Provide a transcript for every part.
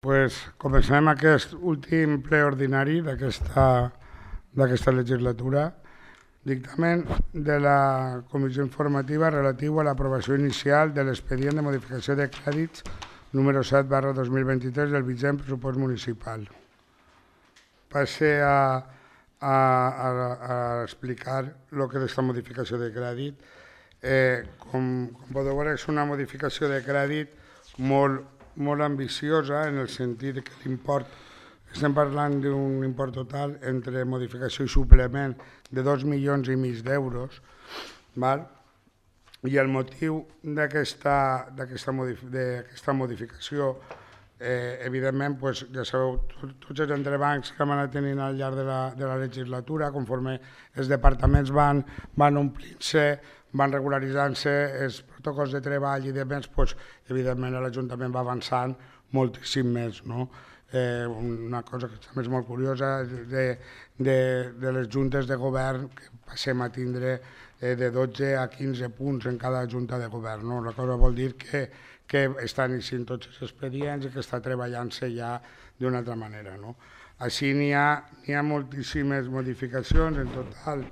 Comencem aquest últim ple ordinari d'aquesta legislatura. Dictamen de la Comissió Informativa relatiu a l'aprovació inicial de l'expedient de modificació de crèdits número 7/2023 del vigent pressupost municipal. Passe a explicar el que és aquesta modificació de crèdit. Com podeu veure, és una modificació de crèdit molt ambiciosa, en el sentit que l'import, estem parlant d'un import total entre modificació i suplement de 2,5 milions d'euros, i el motiu d'aquesta modificació, evidentment, ja sabeu, tots els entrebancs que hem anat tenint al llarg de la legislatura, conforme els departaments van omplint-se, van regularitzant-se els protocols de treball i demés, evidentment l'Ajuntament va avançant moltíssim més. Una cosa que també és molt curiosa de les juntes de govern, que passem a tindre de 12 a 15 punts en cada junta de govern. La cosa vol dir que estan eixint tots els expedients i que està treballant-se ja d'una altra manera. Així n'hi ha moltíssimes modificacions, en total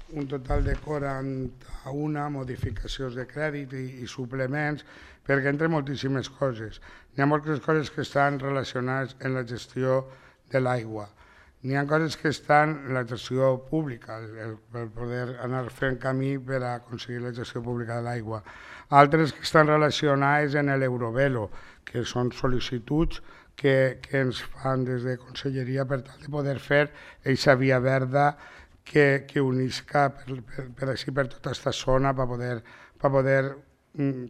un total de 41 modificacions de crèdit i suplements, perquè entre moltíssimes coses. N'hi ha moltes coses que estan relacionades amb la gestió de l'aigua. N'hi ha coses que estan en la gestió pública, per poder anar fent camí per aconseguir la gestió pública de l'aigua. Altres que estan relacionades amb l'Eurovelo, que són sol·licituds que ens fan des de Conselleria per tal de poder fer aquesta via verda que unisca per tota aquesta zona per poder,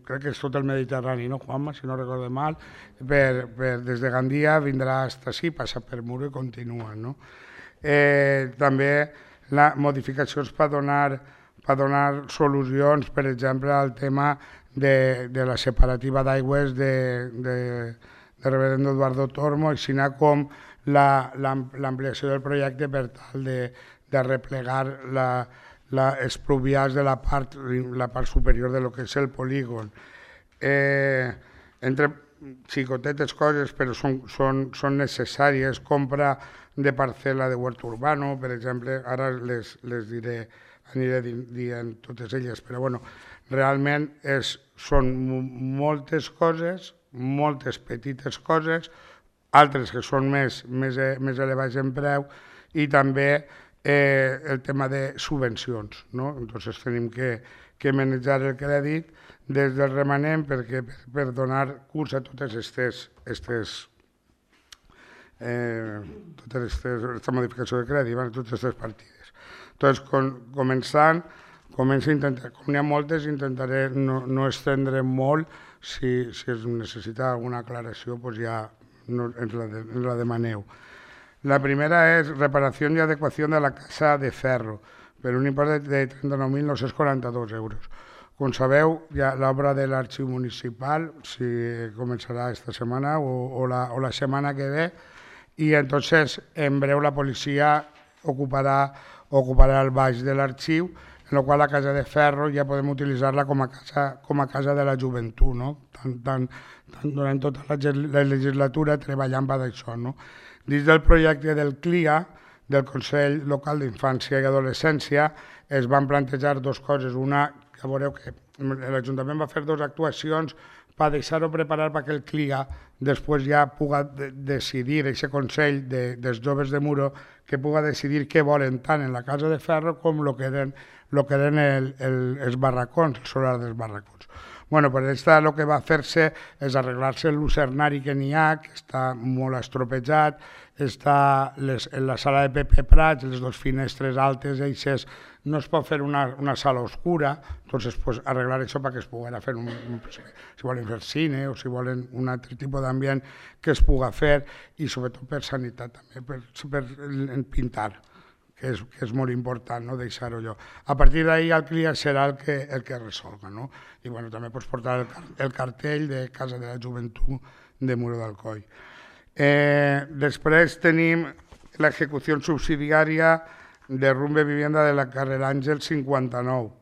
crec que és tot el Mediterrani, no, Juanma, si no recordo mal, des de Gandia vindrà fins ací, passa per Muro i continua. També modificacions per donar solucions, per exemple, al tema de la separativa d'aigües de Reverendo Eduardo Tormo, així com l'ampliació del projecte per tal de replegar els pluvials de la part superior de lo que és el polígon. Entre xicotetes coses, però són necessàries, compra de parcel·la de huerto urbano, per exemple, ara les diré, aniré dient totes elles, però realment són moltes coses, moltes petites coses, altres que són més elevats en preu, i també el tema de subvencions. Entonces tenim que manejar el crèdit des del remanent per donar curs a totes aquesta modificació de crèdit, totes aquestes partides. Entonces, començo a intentar, com n'hi ha moltes, intentaré no estendre molt. Si es necessita alguna aclaració, ja ens la demaneu. La primera és reparació i adequació de la casa de ferro, per un import de 39.942 euros. Com sabeu, l'obra de l'arxiu municipal començarà aquesta setmana o la setmana que ve, i entonces en breu la policia ocuparà el baix de l'arxiu, en la qual la casa de ferro ja podem utilitzar-la com a casa de la joventut, durant tota la legislatura treballant per això. Dins del projecte del CLIA, del Consell Local d'Infància i Adolescència, es van plantejar dues coses. Una, que veureu que l'Ajuntament va fer dues actuacions per deixar-ho preparat perquè el CLIA després ja pugui decidir, aquest Consell dels joves de Muro, que pugui decidir què volen tant en la casa de ferro com el que eren els barracons, el solar dels barracons. Per això el que va fer-se és arreglar-se el lucernari que n'hi ha, que està molt estropejat, està en la sala de Pepe Prats, les dues finestres altes, no es pot fer una sala oscura, entonces arreglar això perquè es pugui fer, si volen fer cine o si volen un altre tipus d'ambient que es pugui fer, i sobretot per sanitat també, per pintar, que és molt important deixar-ho allò. A partir d'ahir el CLIA serà el que resolga. I també pots portar el cartell de Casa de la Joventut de Muro d'Alcoi. Després tenim l'execució subsidiària de Rumbe Vivienda de la carrer Àngel 59.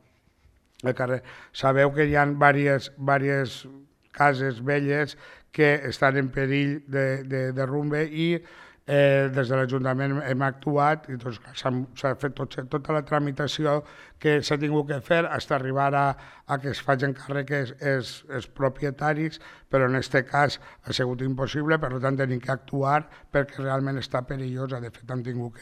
Sabeu que hi ha diverses cases velles que estan en perill de derrumbe i des de l'Ajuntament hem actuat i s'ha fet tota la tramitació que s'ha tingut que fer fins a arribar a que es facin càrrec els propietaris, però en aquest cas ha sigut impossible, per tant tenim que actuar perquè realment està perillosa. De fet, hem tingut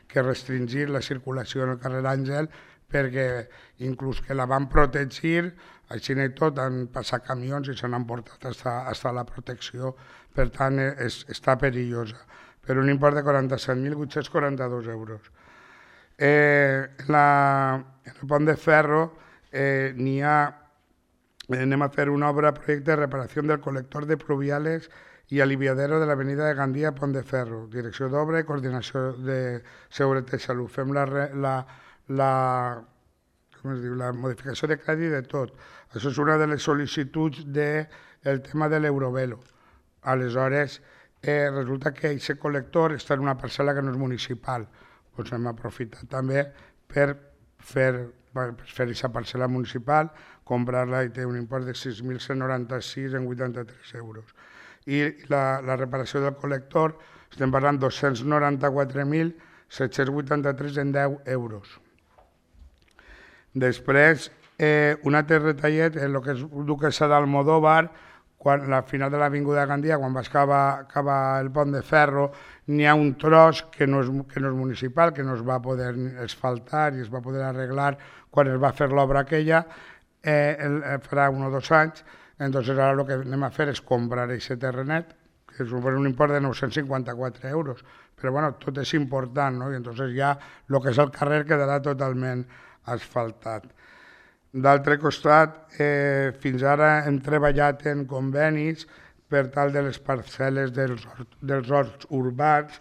que restringir la circulació en el carrer Àngel perquè inclús que la van protegir, així i tot, han passat camions i se n'han portat fins a la protecció, per tant està perillosa, per un import de 47.842 euros. En el pont de ferro anem a fer una obra, projecte de reparació del col·lector de pluviales i aliviadero de l'avenida de Gandia, Pont de Ferro. Direcció d'obra i coordinació de seguretat i salut. Fem la modificació de crèdit de tot. Això és una de les sol·licituds del tema de l'Eurovelo. Aleshores, resulta que aquest col·lector està en una parcel·la que no és municipal. Doncs hem aprofitat també per fer aquesta parcel·la municipal, comprar-la i té un import de 6.196,83 euros. I la reparació del col·lector, estem parlant de 294.783 en 10 euros. Després, un altre retallet, en el que és Duquesa d'Almodóvar, quan al final de l'avinguda de Gandia, quan vas acabar el pont de ferro, n'hi ha un tros que no és municipal, que no es va poder asfaltar i es va poder arreglar quan es va fer l'obra aquella, farà 1 o 2 anys. Entonces ara el que anem a fer és comprar aquest terrenet, que suposa un import de 954 euros, però bueno, tot és important, no? I entonces ja el que és el carrer quedarà totalment asfaltat. D'altre costat, fins ara hem treballat en convenis per tal de les parcel·les dels horts urbans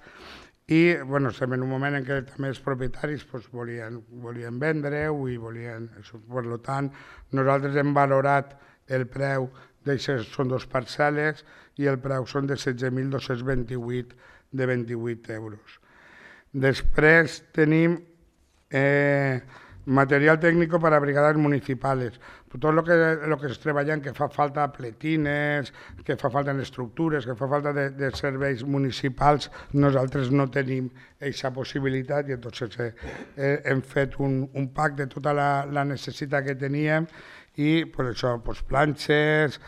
i estem en un moment en què també els propietaris volien vendre-ho i volien... Per tant, nosaltres hem valorat el preu d'aixes, són 2 parcel·les i el preu són de 16.228 de 28 euros. Després tenim material tècnic per a brigades municipals. Tot el que es treballa que fa falta pletines, que fa falta en estructures, que fa falta de serveis municipals, nosaltres no tenim aquesta possibilitat i entonces hem fet un pack de tota la necessitat que teníem i per això planxes,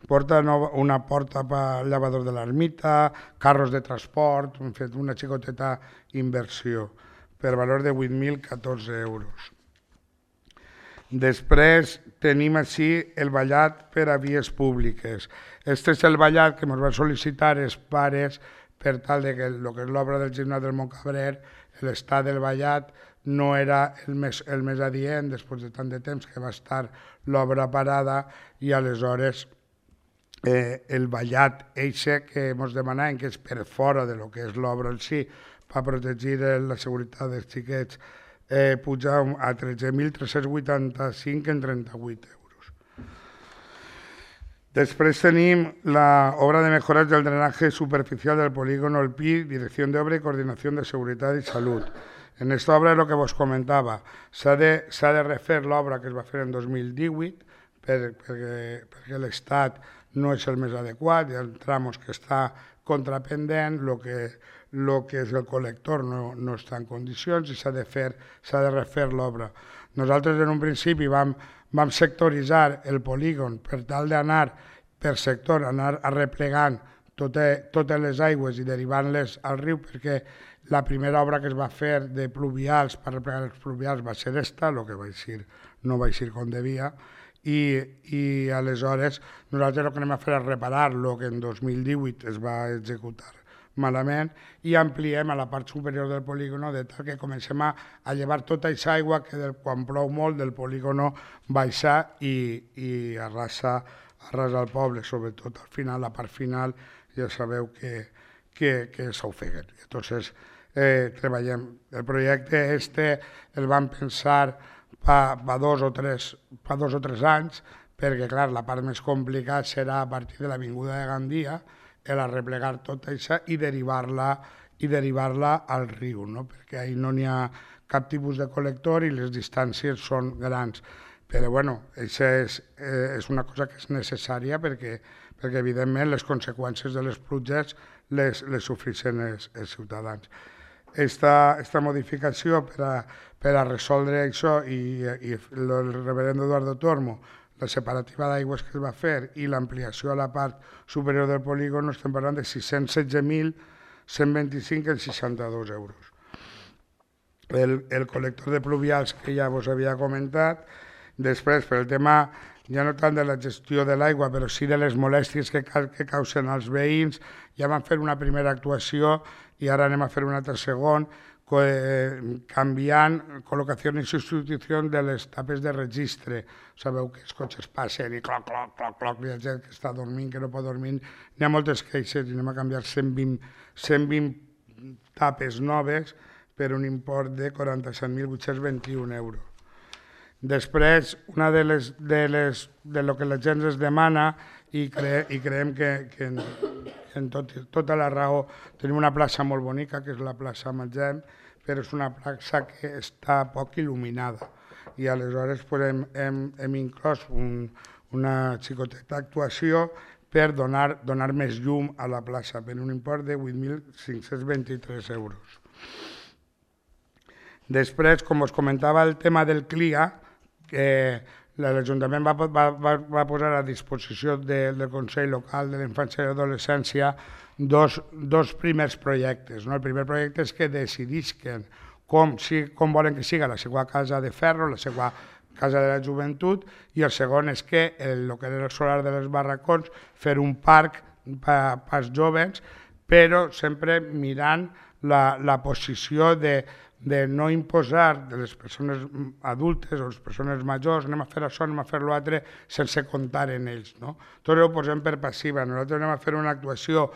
una porta per al lavador de l'ermita, carros de transport, hem fet una xicoteta inversió per valor de 8.014 euros. Després tenim així el ballat per a vies públiques. Este és el ballat que ens van sol·licitar els pares per tal que el que és l'obra del gimnàs del Montcabrer, l'estat del ballat no era el més adient després de tant de temps que va estar l'obra parada i aleshores el ballat eixe que ens demanaven, que és per fora de lo que és l'obra en si, per protegir la seguretat dels xiquets, puja a 13.385 en 38 euros. Després tenim l'obra de mejoras del drenaje superficial del polígono El Pi, dirección de obra y coordinación de seguridad y salud. En esta obra és el que vos comentava, s'ha de refer l'obra que es va fer en 2018 perquè l'estat no és el més adequat, hi ha tramos que està contrapendent, el que és el col·lector no està en condicions i s'ha de refer l'obra. Nosaltres en un principi vam sectoritzar el polígon per tal d'anar per sector, anar arreplegant totes les aigües i derivant-les al riu, perquè la primera obra que es va fer de pluvials, per arreplegar els pluvials, va ser esta, el que no va eixir com devia, i aleshores nosaltres el que anem a fer és reparar el que en 2018 es va executar malament i ampliem a la part superior del polígono de tal que comencem a llevar tota aquesta aigua que quan plou molt del polígono baixa i arrasa el poble, sobretot al final, la part final, ja sabeu que s'ofeguen. Entonces, treballem. El projecte el vam pensar fa 2 o 3 anys, perquè, clar, la part més complicada serà a partir de l'avinguda de Gandia, arreplegar tota això i derivar-la al riu, perquè ahir no n'hi ha cap tipus de col·lector i les distàncies són grans. Però, bueno, això és una cosa que és necessària perquè perquè evidentment les conseqüències de les pluges les sofreixen els ciutadans. Esta modificació per a resoldre això i el reverendo Eduardo Tormo, la separativa d'aigües que es va fer i l'ampliació a la part superior del polígon, estem parlant de 616.125,62 euros. El col·lector de pluvials que ja vos havia comentat, després per el tema ja no tant de la gestió de l'aigua, però sí de les molèsties que causen als veïns, ja vam fer una primera actuació i ara anem a fer un altre segon, canviant col·locació i substitució de les tapes de registre. Sabeu que els cotxes passen i cloc, cloc, cloc, cloc, hi ha gent que està dormint, que no pot dormir. N'hi ha moltes queixes i anem a canviar 120 tapes noves per un import de 47.821 euros. Després, una de lo que la gent es demana i creiem que en tota la raó tenim una plaça molt bonica, que és la plaça Magem, però és una plaça que està poc il·luminada i aleshores hem inclòs una xicoteta actuació per donar més llum a la plaça per un import de 8.523 euros. Després, com us comentava, el tema del CLIA, que l'Ajuntament va posar a disposició del Consell Local de la Infància i l'Adolescència dos primers projectes. El primer projecte és que decidisquen com volen que siga la seva casa de ferro, la seva casa de la joventut, i el segon és que el que era el solar de les barracons, fer un parc pels joves, però sempre mirant la posició de no imposar de les persones adultes o les persones majors, anem a fer això, anem a fer l'altre, sense comptar en ells. Tot ho posem per passiva. Nosaltres anem a fer una actuació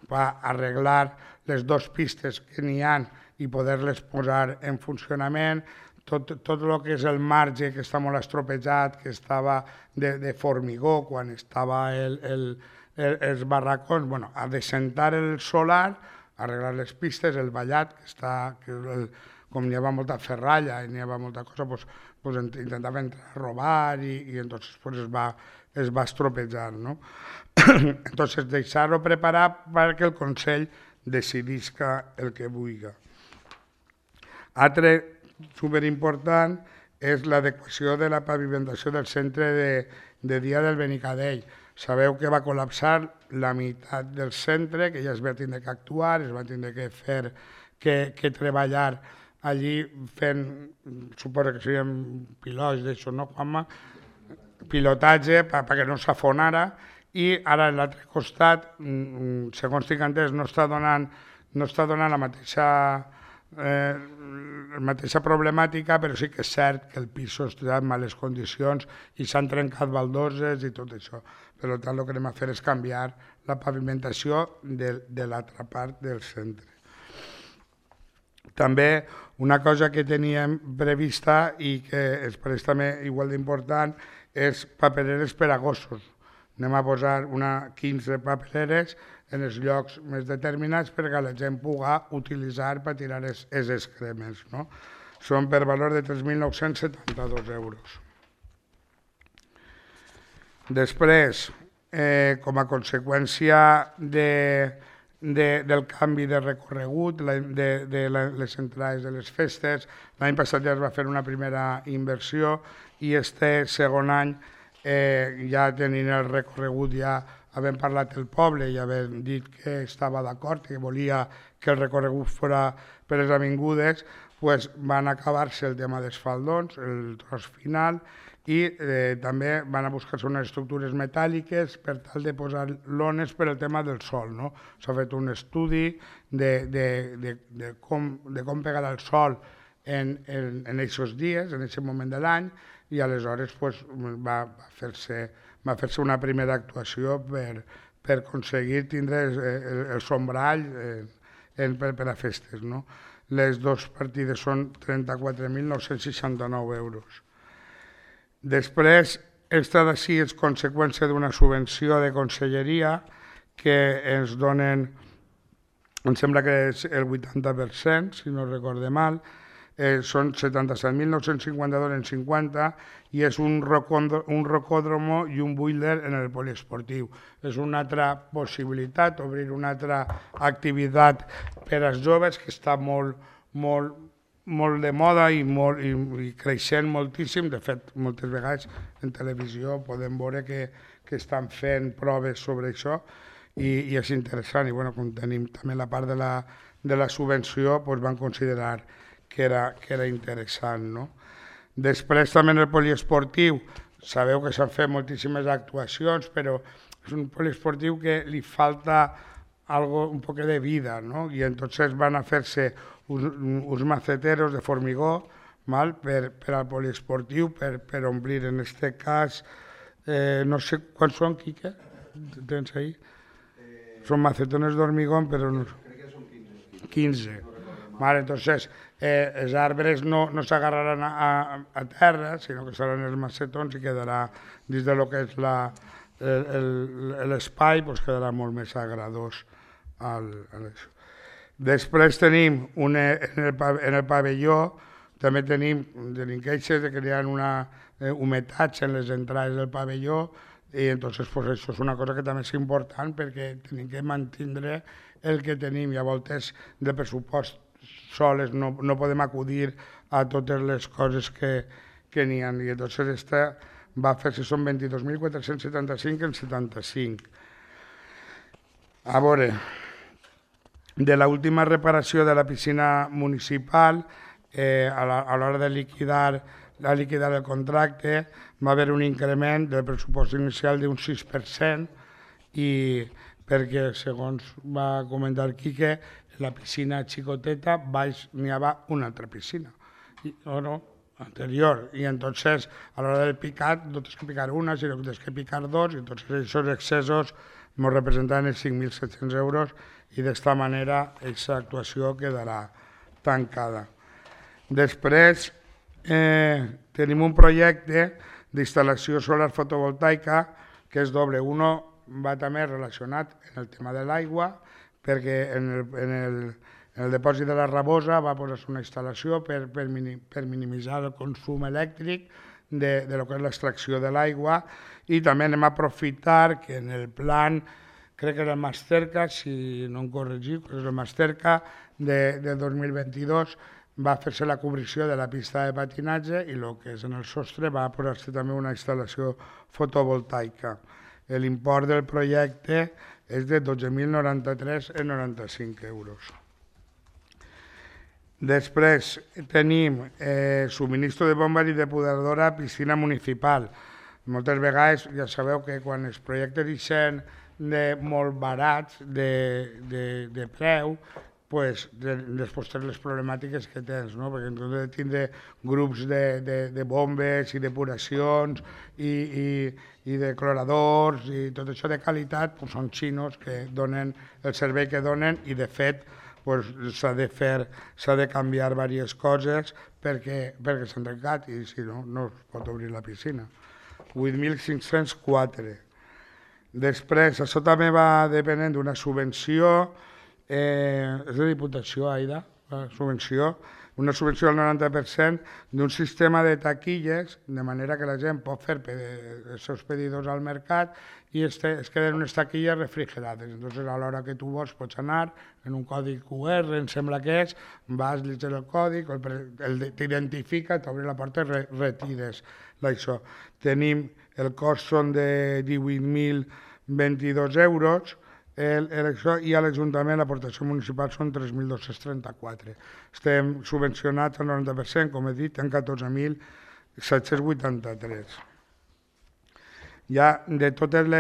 per arreglar les dues pistes que n'hi ha i poder-les posar en funcionament. Tot el que és el marge, que està molt estropejat, que estava de formigó quan estava els barracons, a descentar el solar, arreglar les pistes, el vallat, que com n'hi havia molta ferralla i n'hi havia molta cosa, intentava entrar a robar i entonces es va estropejar. Entonces, deixar-ho preparat perquè el Consell decidisca el que vulgui. Altre superimportant és l'adequació de la pavimentació del centre de dia del Benicadell. Sabeu que va col·lapsar la meitat del centre, que ja es va tindre que actuar, es va tindre que treballar allí fent, suposo que serien pilots d'això, no, Juanma? Pilotatge perquè no s'afonara, i ara a l'altre costat, segons tinc entès, no està donant la mateixa problemàtica, però sí que és cert que el pis està en males condicions i s'han trencat baldoses i tot això. Per tant, el que anem a fer és canviar la pavimentació de l'altra part del centre. També una cosa que teníem prevista i que ens pareix també igual d'important és papereres per a gossos. Anem a posar 15 papereres en els llocs més determinats perquè la gent pugui utilitzar per tirar els excrements. Són per valor de 3.972 euros. Després, com a conseqüència del canvi de recorregut, de les entrades de les festes, l'any passat ja es va fer una primera inversió i este segon any, ja tenint el recorregut, ja havent parlat el poble i havent dit que estava d'acord, que volia que el recorregut fos per les avingudes, van acabar-se el tema dels faldons, el tros final, i també van a buscar-se unes estructures metàl·liques per tal de posar lones per al tema del sol. S'ha fet un estudi de com pegar el sol en aquests dies, en aquest moment de l'any, i aleshores va fer-se una primera actuació per aconseguir tindre el sombrall per a festes. Les dues partides són 34.969 euros. Després, aquesta d'ací és conseqüència d'una subvenció de conselleria que ens donen, em sembla que és el 80%, si no recorde mal, són 77.952 en 50 i és un rocòdromo i un boiler en el poliesportiu. És una altra possibilitat, obrir una altra activitat per als joves que està molt de moda i creixent moltíssim. De fet, moltes vegades en televisió podem veure que estan fent proves sobre això i és interessant. I com tenim també la part de la subvenció, van considerar que era interessant. Després també en el poliesportiu, sabeu que s'han fet moltíssimes actuacions, però és un poliesportiu que li falta un poc de vida, i entonces van a fer-se uns maceteros de formigó per al poliesportiu, per omplir. En aquest cas, no sé quants són, Quique, tens ahí? Són macetones d'hormigón, però no... Crec que són 15. Entonces, els arbres no s'agarraran a terra, sinó que seran els macetons i quedarà dins del que és l'espai, quedarà molt més agradós. Després tenim, en el pavelló, també tenim queixes de que hi ha humetats en les entrades del pavelló i entonces això és una cosa que també és important perquè tenim que mantenir el que tenim i a voltes de pressupost soles no podem acudir a totes les coses que n'hi ha. I entonces esta va fer-se, són 22.475 en 75. A veure, de l'última reparació de la piscina municipal, a l'hora de liquidar el contracte, va haver un increment del pressupost inicial d'un 6% i perquè, segons va comentar Quique, la piscina xicoteta baix n'hi havia una altra piscina, anterior, i entonces a l'hora del picat no tens que picar una, sinó que tens que picar dos, i entonces aquests excessos ens representaven els 5.700 euros i d'esta manera aquesta actuació quedarà tancada. Després tenim un projecte d'instal·lació solar fotovoltaica que és doble. Uno va també relacionat amb el tema de l'aigua, perquè en el depòsit de la Rabosa va posar-se una instal·lació per minimitzar el consum elèctric de lo que és l'extracció de l'aigua i també anem a aprofitar que en el plan, crec que era el Masterca, si no em corregiu, que és el Masterca de 2022, va fer-se la cobrició de la pista de patinatge i el que és en el sostre va posar-se també una instal·lació fotovoltaica. L'import del projecte és de 12.093,95 euros. Després tenim subministro de bombes i depuradora a piscina municipal. Moltes vegades ja sabeu que quan els projectes ixen molt barats de preu, després tens les problemàtiques que tens, perquè en comptes de tindre grups de bombes i depuracions i de cloradors i tot això de qualitat, són xinos que donen el servei que donen i de fet s'ha de canviar diverses coses perquè s'han trencat i si no, no es pot obrir la piscina. 8.504. Després, això també va depenent d'una subvenció, és de Diputació, Aida, una subvenció del 90% d'un sistema de taquilles, de manera que la gent pot fer els seus pedidors al mercat i es queden unes taquilles refrigerades. Entonces, a l'hora que tu vols pots anar en un codi QR, em sembla que és, vas, llegir el codi, t'identifica, t'obre la porta i retires això. Tenim, el cost són de 18.022 euros, i a l'Ajuntament l'aportació municipal són 3.234. Estem subvencionats al 90%, com he dit, en 14.783. Ja de tot el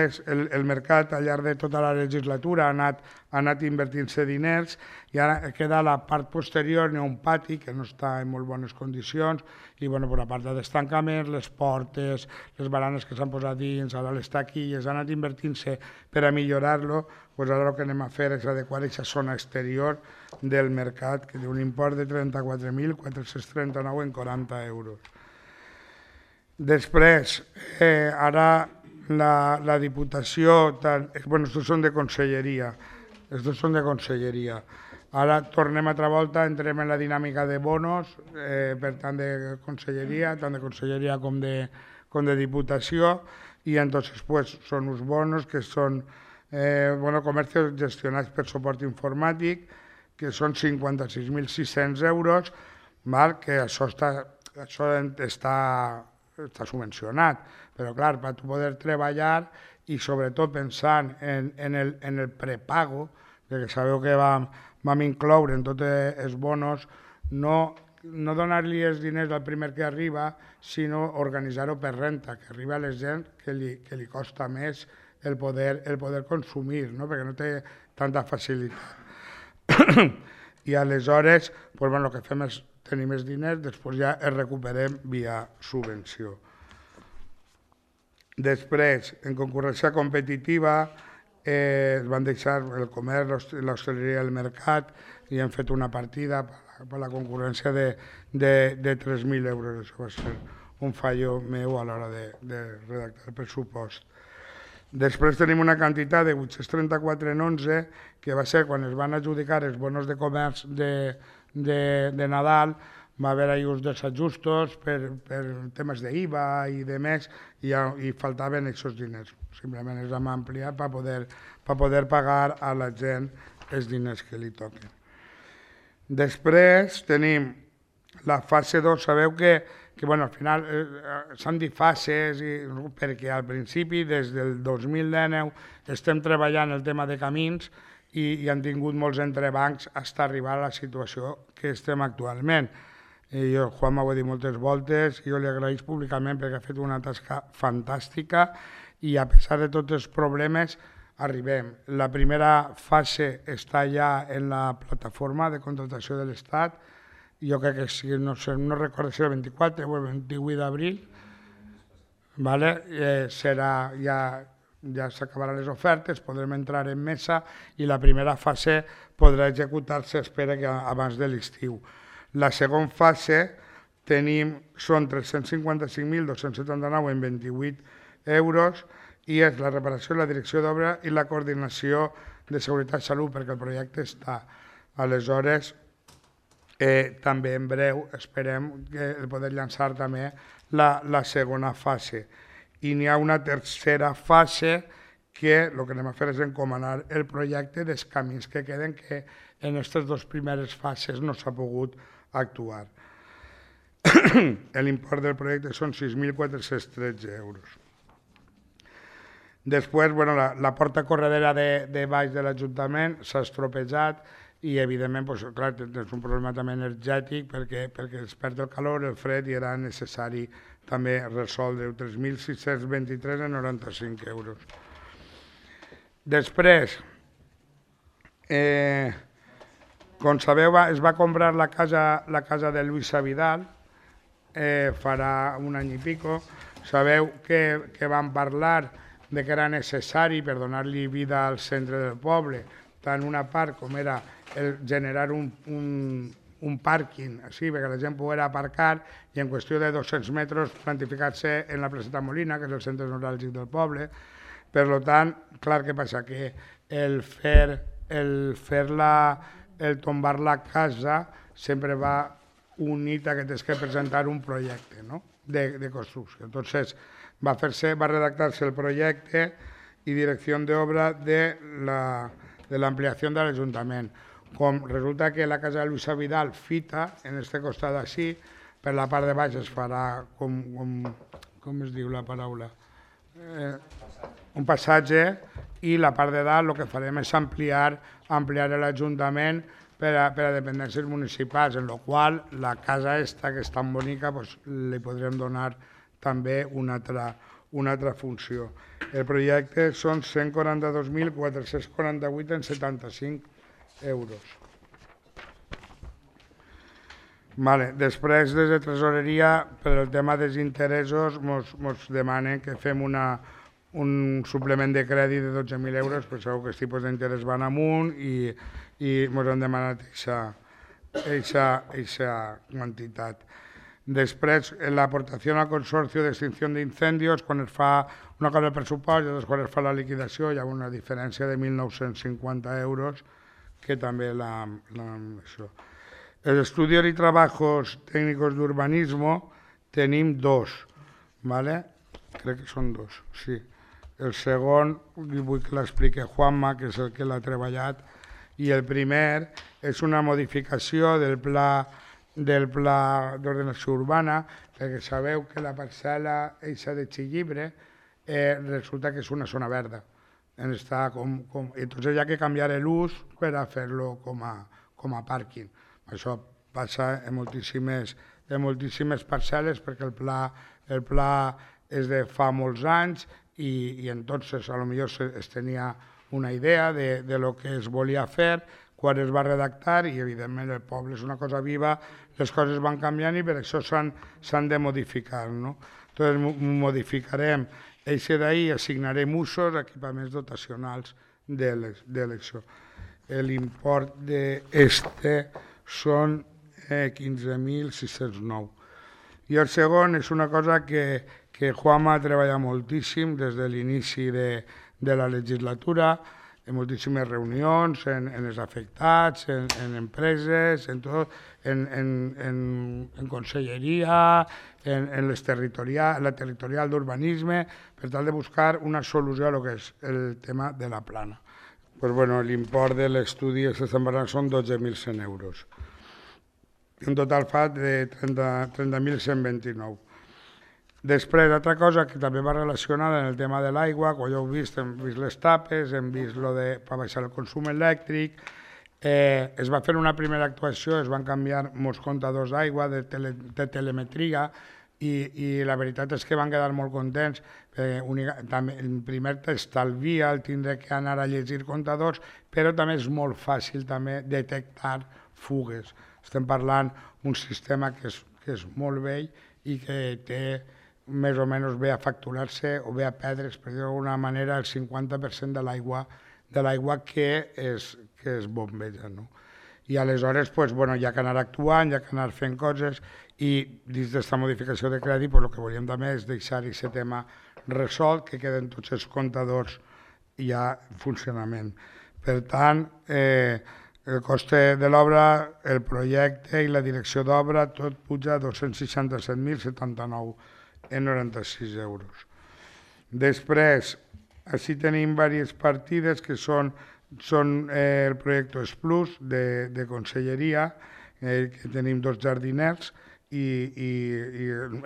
mercat al llarg de tota la legislatura ha anat invertint-se diners i ara queda la part posterior, n'hi ha un pati que no està en molt bones condicions i per la part de destancament, les portes, les baranes que s'han posat dins, ara les taquilles, ha anat invertint-se per a millorar-lo, ara el que anem a fer és adequar aquesta zona exterior del mercat que té un import de 34.439,40 euros. Després, ara la Diputació, estos són de conselleria, Ara tornem altra volta, entrem en la dinàmica de bonos, per tant de conselleria, tant de conselleria com de diputació, i entonces pues, són uns bonos que són comerços gestionats per suport informàtic, que són 56.600 euros, val? Que això està subvencionat, però clar, per poder treballar i sobretot pensant en el prepago, perquè sabeu que vam incloure en tots els bonos no donar-li els diners al primer que arriba, sinó organitzar-ho per renta, que arriba a la gent que li costa més el poder consumir, no? Perquè no té tanta facilitat. I aleshores el que fem és tenir més diners, després ja els recuperem via subvenció. Després, en concurrència competitiva, es van deixar el comerç, l'hostaleria i el mercat i hem fet una partida per la concurrència de 3.000 euros. Això va ser un fallo meu a l'hora de redactar el pressupost. Després tenim una quantitat de 834,11 que va ser quan es van adjudicar els bonos de comerç de Nadal, va haver-hi uns desajustos per temes d'IVA i de més i faltaven aquests diners. Simplement els hem ampliat per poder pagar a la gent els diners que li toquen. Després tenim la fase 2. Sabeu que al final s'han dit fases perquè al principi, des del 2019, estem treballant el tema de camins i han tingut molts entrebancs fins a arribar a la situació que estem actualment. Juan m'ho ha dit moltes voltes, jo li agraïs públicament perquè ha fet una tasca fantàstica i a pesar de tots els problemes arribem. La primera fase està ja en la plataforma de contractació de l'Estat, jo crec que no recordo si era el 24 o el 28 d'abril, serà ja s'acabaran les ofertes, podrem entrar en mesa i la primera fase podrà executar-se, espera que abans de l'estiu. La segona fase són 355.279 en 28 euros i és la reparació, la direcció d'obra i la coordinació de seguretat i salut, perquè el projecte està. Aleshores, també en breu esperem poder llançar també la segona fase. I n'hi ha una tercera fase que el que anem a fer és encomanar el projecte dels camins que queden, que en aquestes dues primeres fases no s'ha pogut actuar. L'import del projecte són 6.413 euros. Després, la porta corredera de baix de l'Ajuntament s'ha estropejat i, evidentment, clar, és un problema també energètic perquè es perd el calor, el fred i era necessari també resoldre 3.623,95 euros. Després, com sabeu, es va comprar la casa de Luisa Vidal farà un any i pico. Sabeu que vam parlar de que era necessari per donar-li vida al centre del poble, tant una part com era generar un pàrquing així perquè la gent pogués aparcar i en qüestió de 200 metres plantificar-se en la placeta Molina, que és el centre neuràlgic del poble. Per tant, clar, què passa? Que el tombar la casa sempre va unit a que tens que presentar un projecte de construcció. Entonces, va redactar-se el projecte i direcció d'obra de l'ampliació de l'Ajuntament. Com resulta que la casa de Luisa Vidal fita, en este costat així, per la part de baix es farà com es diu la paraula? Un passatge, i la part de dalt el que farem és ampliar l'Ajuntament per a dependències municipals, en la qual la casa esta, que és tan bonica, li podrem donar també una altra funció. El projecte són 142.448,75 euros. Després, des de Tresoreria, per al tema dels interessos, ens demanen que fem un suplement de crèdit de 12.000 euros, però sabeu que els tipus d'interès van amunt i ens han demanat aquesta quantitat. Després, l'aportació al Consorcio de Extinció d'Incendios, quan es fa una cosa del pressupost i després quan es fa la liquidació, hi ha una diferència de 1.950 euros que també això. El estudio y trabajos técnicos de urbanismo tenim dos, ¿vale? Crec que són dos, sí. El segon, vull que l'expliqui Juanma, que és el que l'ha treballat, i el primer és una modificació del pla d'ordenació urbana, perquè sabeu que la parcel·la eixa de Xillibre resulta que és una zona verda. Entonces hi ha que canviar l'ús per a fer-lo com a pàrquing. Això passa en moltíssimes parcel·les perquè el pla és de fa molts anys i entonces a lo millor es tenia una idea de lo que es volia fer quan es va redactar i evidentment el poble és una cosa viva, les coses van canviant i per això s'han de modificar, no? Entonces modificarem eixe d'ahir, assignarem usos, equipaments dotacionals de l'elecció. L'import d'este són 15.609. I el segon és una cosa que Juanma ha treballat moltíssim des de l'inici de la legislatura, en moltíssimes reunions, en els afectats, en empreses, en tot, en conselleria, en la territorial d'urbanisme, per tal de buscar una solució a lo que és el tema de la plana. Pues bueno, l'import de l'estudi són 12.100 euros. En total fa de 30.129. Després, altra cosa que també va relacionada en el tema de l'aigua, quan ja heu vist, hem vist les tapes, hem vist per baixar el consum elèctric, es va fer una primera actuació, es van canviar molts comptadors d'aigua, de telemetria, i la veritat és que van quedar molt contents. Primer t'estalvia el tindre que anar a llegir comptadors, però també és molt fàcil també detectar fugues. Estem parlant d'un sistema que és molt vell i que té més o menys ve a facturar-se o ve a perdre's, per dir d'alguna manera, el 50% de l'aigua que es bombeja. No? I aleshores hi ha que anar actuant, hi ha que anar fent coses i dins d'aquesta modificació de crèdit el que volíem també és deixar aquest tema resolt, que queden tots els comptadors ja en funcionament. Per tant, el coste de l'obra, el projecte i la direcció d'obra, tot puja a 267.079,96 euros. Després, així tenim diverses partides que són el projecte Plus de Conselleria, que tenim 2 jardiners i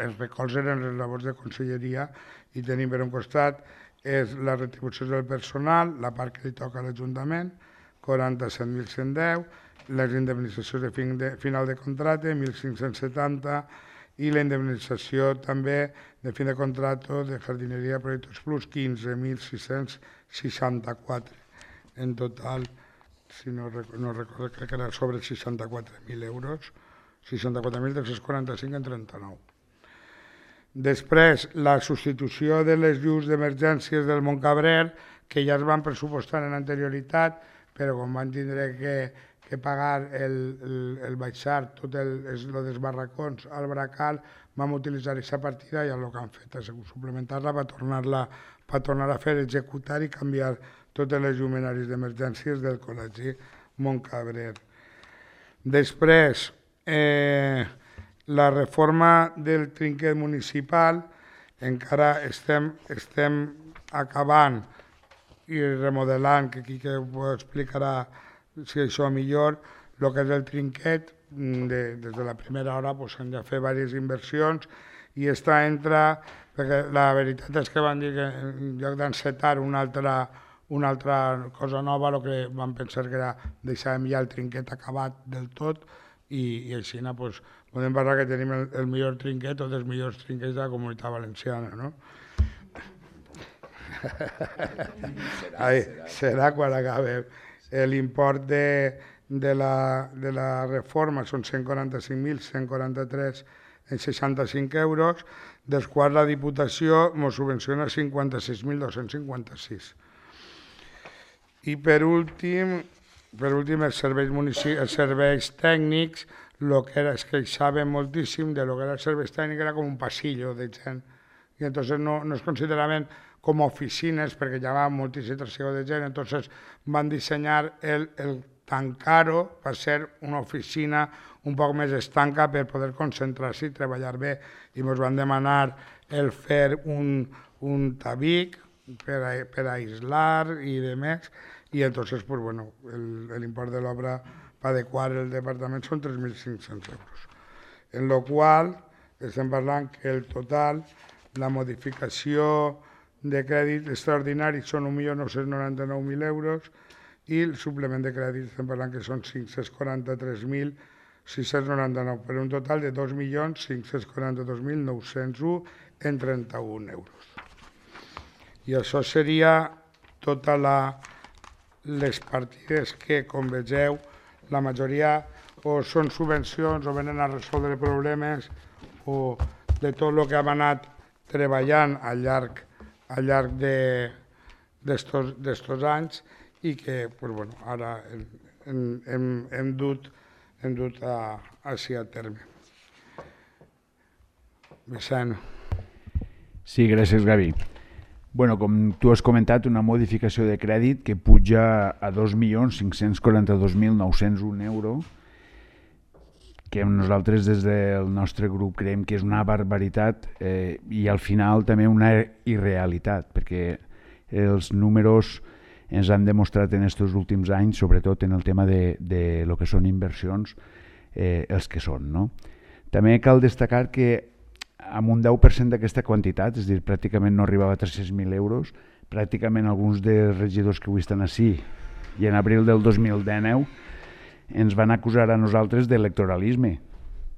els recolzen les labors de Conselleria i tenim per un costat és la retribució del personal, la part que li toca a l'Ajuntament, 47.110, les indemnitzacions de final de contracte, 1.570, i la indemnització també de fin de contracte de jardineria de Projectes Plus, 15.664. En total, si no recordo, crec que era sobre 64.000 euros, 64.345 en 39. Després, la substitució de les llums d'emergències del Montcabrer, que ja es van pressupostar en anterioritat, però com van tindre que pagar el baixar tot el dels barracons al Bracal, vam utilitzar aquesta partida i el que han fet és suplementar-la per tornar a fer, executar i canviar totes les llumenaris d'emergències del Col·legi Montcabrer. Després, la reforma del trinquet municipal, encara estem acabant i remodelant, que aquí que ho explicarà si això millor, el que és el trinquet, des de la primera hora s'han de fer diverses inversions i està perquè la veritat és que van dir que en lloc d'encetar una altra cosa nova, el que van pensar que era deixàvem ja el trinquet acabat del tot i així podem parlar que tenim el millor trinquet o dels millors trinquets de la Comunitat Valenciana, no? Serà quan acabem. L'import de la reforma són 145.143,65 euros, dels quals la Diputació ens subvenciona 56.256. I per últim, els serveis tècnics, el que era, es queixaven moltíssim de lo que era els serveis tècnics, era com un passillo de gent. I entonces no es consideraven com a oficines perquè hi havia moltíssim trasiego de gent, entonces van dissenyar el tancar-ho va ser una oficina un poc més estanca per poder concentrar-se i treballar bé, i ens van demanar el fer un tabic per aislar i demés, i entonces pues, bueno, l'import de l'obra per adequar el departament són 3.500 euros. En lo qual estem parlant que el total, la modificació de crèdit extraordinari són 1.999.000 euros i el suplement de crèdit estem parlant que són 543.699, per un total de 2.542.901 en 31 euros. I això seria totes les partides que, com vegeu, la majoria o són subvencions o venen a resoldre problemes o de tot el que hem anat treballant al llarg d'estos anys i que pues, bueno, ara hem dut així a terme. Vicent. Sí, gràcies, Gavi. Bueno, com tu has comentat, una modificació de crèdit que puja a 2.542.901 euros, que nosaltres des del nostre grup creiem que és una barbaritat i al final també una irrealitat, perquè els números ens han demostrat en aquests últims anys, sobretot en el tema de lo que són inversions, els que són. No? També cal destacar que amb un 10% d'aquesta quantitat, és a dir, pràcticament no arribava a 300.000 euros, pràcticament alguns dels regidors que avui estan així i en abril del 2019 ens van acusar a nosaltres d'electoralisme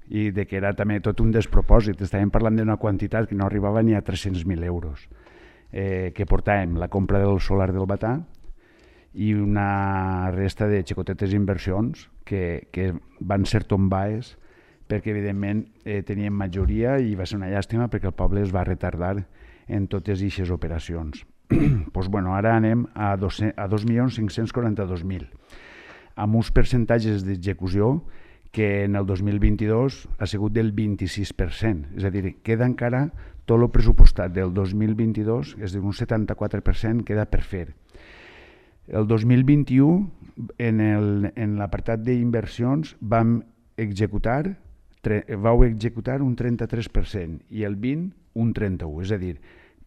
i de que era també tot un despropòsit. Estàvem parlant d'una quantitat que no arribava ni a 300.000 euros, que portàvem la compra del solar del Batà i una resta de xicotetes inversions que van ser tombades perquè evidentment teníem majoria i va ser una llàstima perquè el poble es va retardar en totes aquestes operacions. Pues bueno, ara anem a 2.542.000, amb uns percentatges d'execució que en el 2022 ha sigut del 26%, és a dir, queda encara tot el pressupostat del 2022, és a dir, un 74% queda per fer. El 2021, en l'apartat d'inversions, vau executar un 33% i el 20% un 31%, és a dir,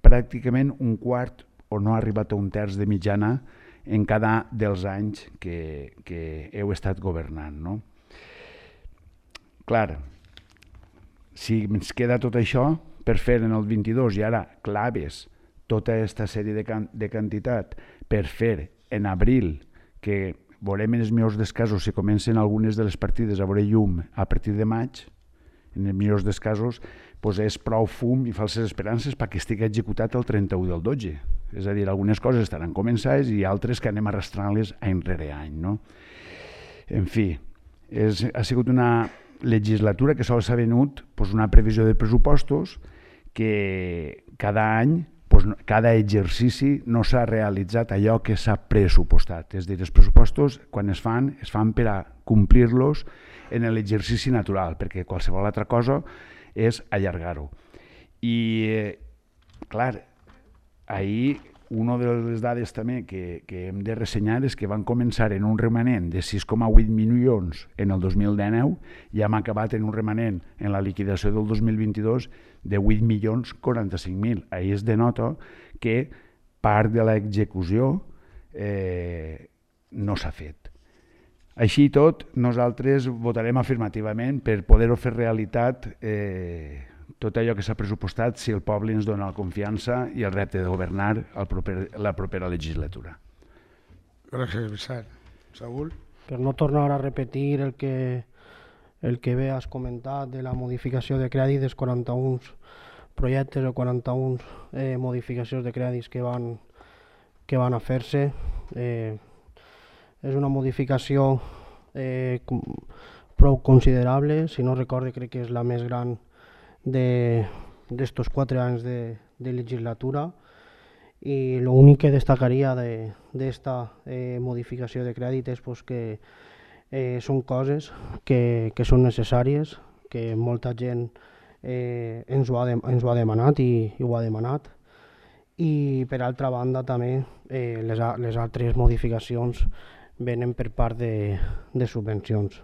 pràcticament un quart o no ha arribat a un terç de mitjana en cada dels anys que heu estat governant. No? Clar, si ens queda tot això per fer en el 22 i ara claves tota aquesta sèrie de quantitat per fer en abril, que veurem en els millors dels casos si comencen algunes de les partides a veure llum a partir de maig, en els millors dels casos doncs és prou fum i falses esperances perquè estigui executat el 31 del 12. És a dir, algunes coses estaran començades i altres que anem arrastrant-les any rere any. No? En fi, ha sigut una legislatura que sols ha venut una previsió de pressupostos que cada any, cada exercici no s'ha realitzat allò que s'ha pressupostat. És a dir, els pressupostos, quan es fan per a complir-los en l'exercici natural, perquè qualsevol altra cosa és allargar-ho. I, clar, ahir una de les dades també que hem de ressenyar és que van començar en un remanent de 6,8 milions en el 2019 i hem acabat en un remanent en la liquidació del 2022 de 8.045.000. Ahir es denota que part de l'execució no s'ha fet. Així i tot, nosaltres votarem afirmativament per poder-ho fer realitat tot allò que s'ha pressupostat si el poble ens dona la confiança i el repte de governar la propera legislatura. Gràcies, Vicent. Saúl? Per no tornar a repetir el que bé has comentat de la modificació de crèdit dels 41 projectes o 41 modificacions de crèdits que van a fer-se, és una modificació prou considerable, si no recorde crec que és la més gran d'estos 4 anys de legislatura, i l'únic que destacaria d'esta modificació de crèdit és que són coses que són necessàries, que molta gent ens ho ha demanat i ho ha demanat, i per altra banda també les altres modificacions venen per part de subvencions.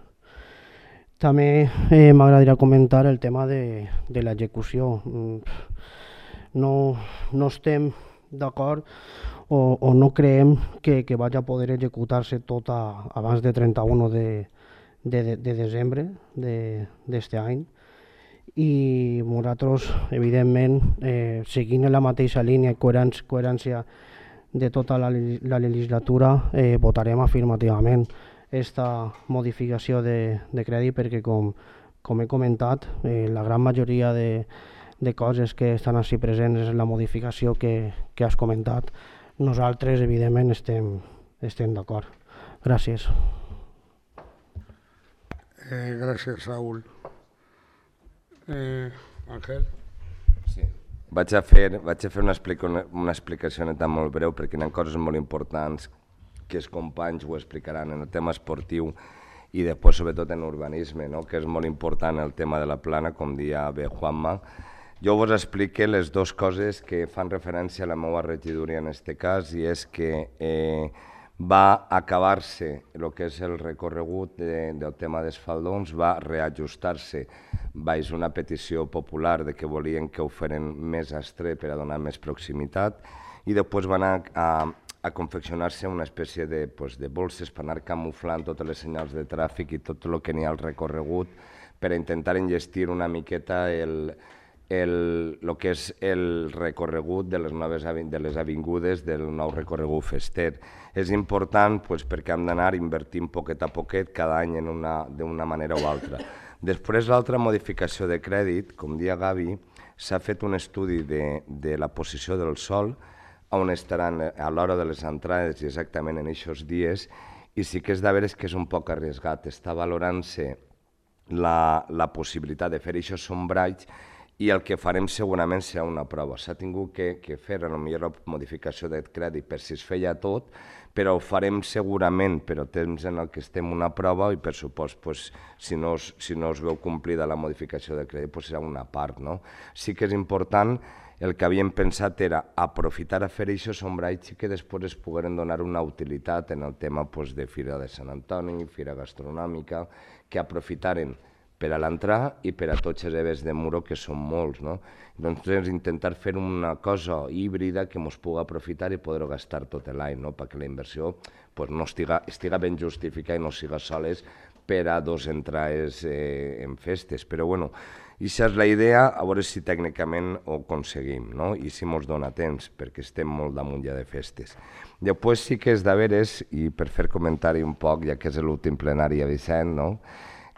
També m'agradaria comentar el tema de l'execució. No estem d'acord o no creiem que vagi a poder executar-se tot abans de 31 de desembre d'aquest any, i nosaltres, evidentment, seguint la mateixa línia i coherència de tota la legislatura, votarem afirmativament aquesta modificació de crèdit, perquè com he comentat, la gran majoria de coses que estan així presents en la modificació que has comentat, nosaltres evidentment estem d'acord. Gràcies. Gràcies, Saúl. Ángel? Sí. Vaig a fer una explicació neta molt breu, perquè hi ha coses molt importants que els companys ho explicaran en el tema esportiu i després sobretot en urbanisme, no? Que és molt important el tema de la plana, com dia bé Juanma. Jo vos explique les dues coses que fan referència a la meva regidoria en aquest cas, i és que va acabar-se el que és el recorregut del tema dels faldons, va reajustar-se baix una petició popular de que volien que ho feren més estret per a donar més proximitat, i després van a confeccionar-se una espècie de bolses per anar camuflant totes les senyals de tràfic i tot el que n'hi ha al recorregut, per a intentar enllestir una miqueta el que és el recorregut de les avingudes del nou recorregut fester. És important perquè hem d'anar invertint poquet a poquet cada any d'una manera o altra. Després, l'altra modificació de crèdit, com dia Gavi, s'ha fet un estudi de la posició del sol, on estaran a l'hora de les entrades i exactament en aquests dies, i sí que és de veres que és un poc arriesgat. Està valorant-se la possibilitat de fer aquests sombralls, i el que farem segurament serà una prova. S'ha tingut que fer potser la modificació de crèdit per si es feia tot, però ho farem segurament per al temps en el que estem una prova, i per supost, si no es veu complida la modificació de crèdit, serà una part. Sí que és important, el que havíem pensat era aprofitar a fer aquests sombralls i que després es pogueren donar una utilitat en el tema de Fira de Sant Antoni, Fira Gastronòmica, que aprofitaren per a l'entrar i per a tots els eves de muro, que són molts. Doncs intentar fer una cosa híbrida que ens pugui aprofitar i poder-ho gastar tot l'any, perquè la inversió no estiga ben justificada i no siga soles per a dos entrades en festes. Però bueno, aquesta és la idea, a veure si tècnicament ho aconseguim i si ens dona temps, perquè estem molt damunt ja de festes. Després sí que és de veres, i per fer comentari un poc, ja que és l'últim plenari a Vicent,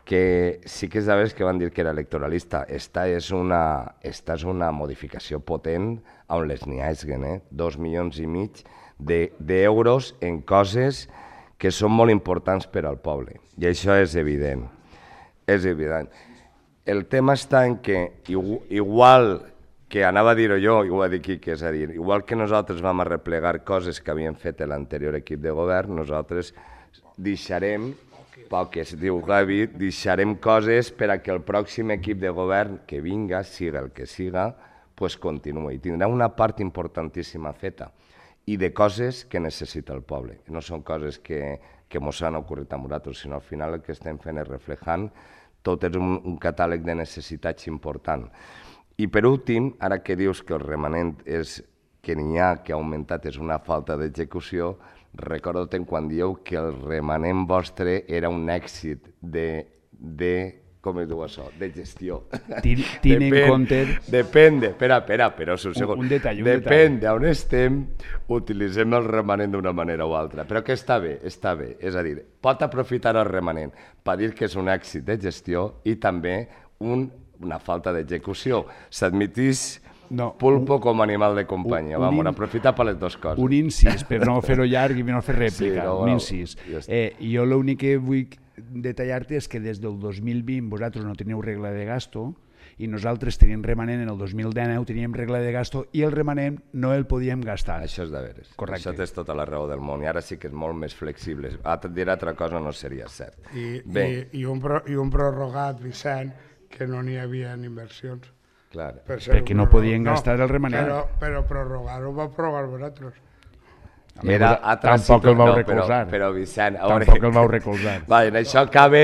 que sí que és de veres que van dir que era electoralista. Esta és una modificació potent on les n'hi hagin, 2,5 milions d'euros en coses que són molt importants per al poble. I això és evident. És evident. El tema està en que, igual que anava a dir-ho jo, i ho va dir Quique, és a dir, igual que nosaltres vam arreplegar coses que havien fet l'anterior equip de govern, nosaltres deixarem poques, diu Gavi, deixarem coses per a que el pròxim equip de govern que vinga, siga el que siga, continuï. Tindrà una part importantíssima feta i de coses que necessita el poble. No són coses que ens han ocorrit a nosaltres, sinó al final el que estem fent és reflejant tot és un catàleg de necessitats important. I per últim, ara que dius que el remanent és que n'hi ha que ha augmentat és una falta d'execució, recordo-te'n quan dieu que el remanent vostre era un èxit com es diu això? De gestió. Tiene en compte... Depèn, espera, però un segon. Un detall. Depèn d'on estem, utilitzem el remanent d'una manera o altra. Però que està bé. És a dir, pot aprofitar el remanent per dir que és un èxit de gestió i també una falta d'execució. S'admitís pulpo com a animal de companyia. Vam aprofitar per les dues coses. Un incís, per no fer-ho llarg i no fer rèplica. Un incís. Jo l'únic que vull detallar-te és que des del 2020 vosaltres no teniu regla de gasto i nosaltres teníem remanent en el 2019, teníem regla de gasto i el remanent no el podíem gastar. Això és de veres. Correcte. Això tens tota la raó del món i ara sí que és molt més flexible. Dir altra cosa no seria cert. I un prorrogat, Vicent, que no n'hi havia inversions. Perquè no podien gastar el remanent. Però prorrogar-ho va prorrogar vosaltres. Tampoc el vau recolzar. Però Vicent... Tampoc el vau recolzar. Vale, en això cabe.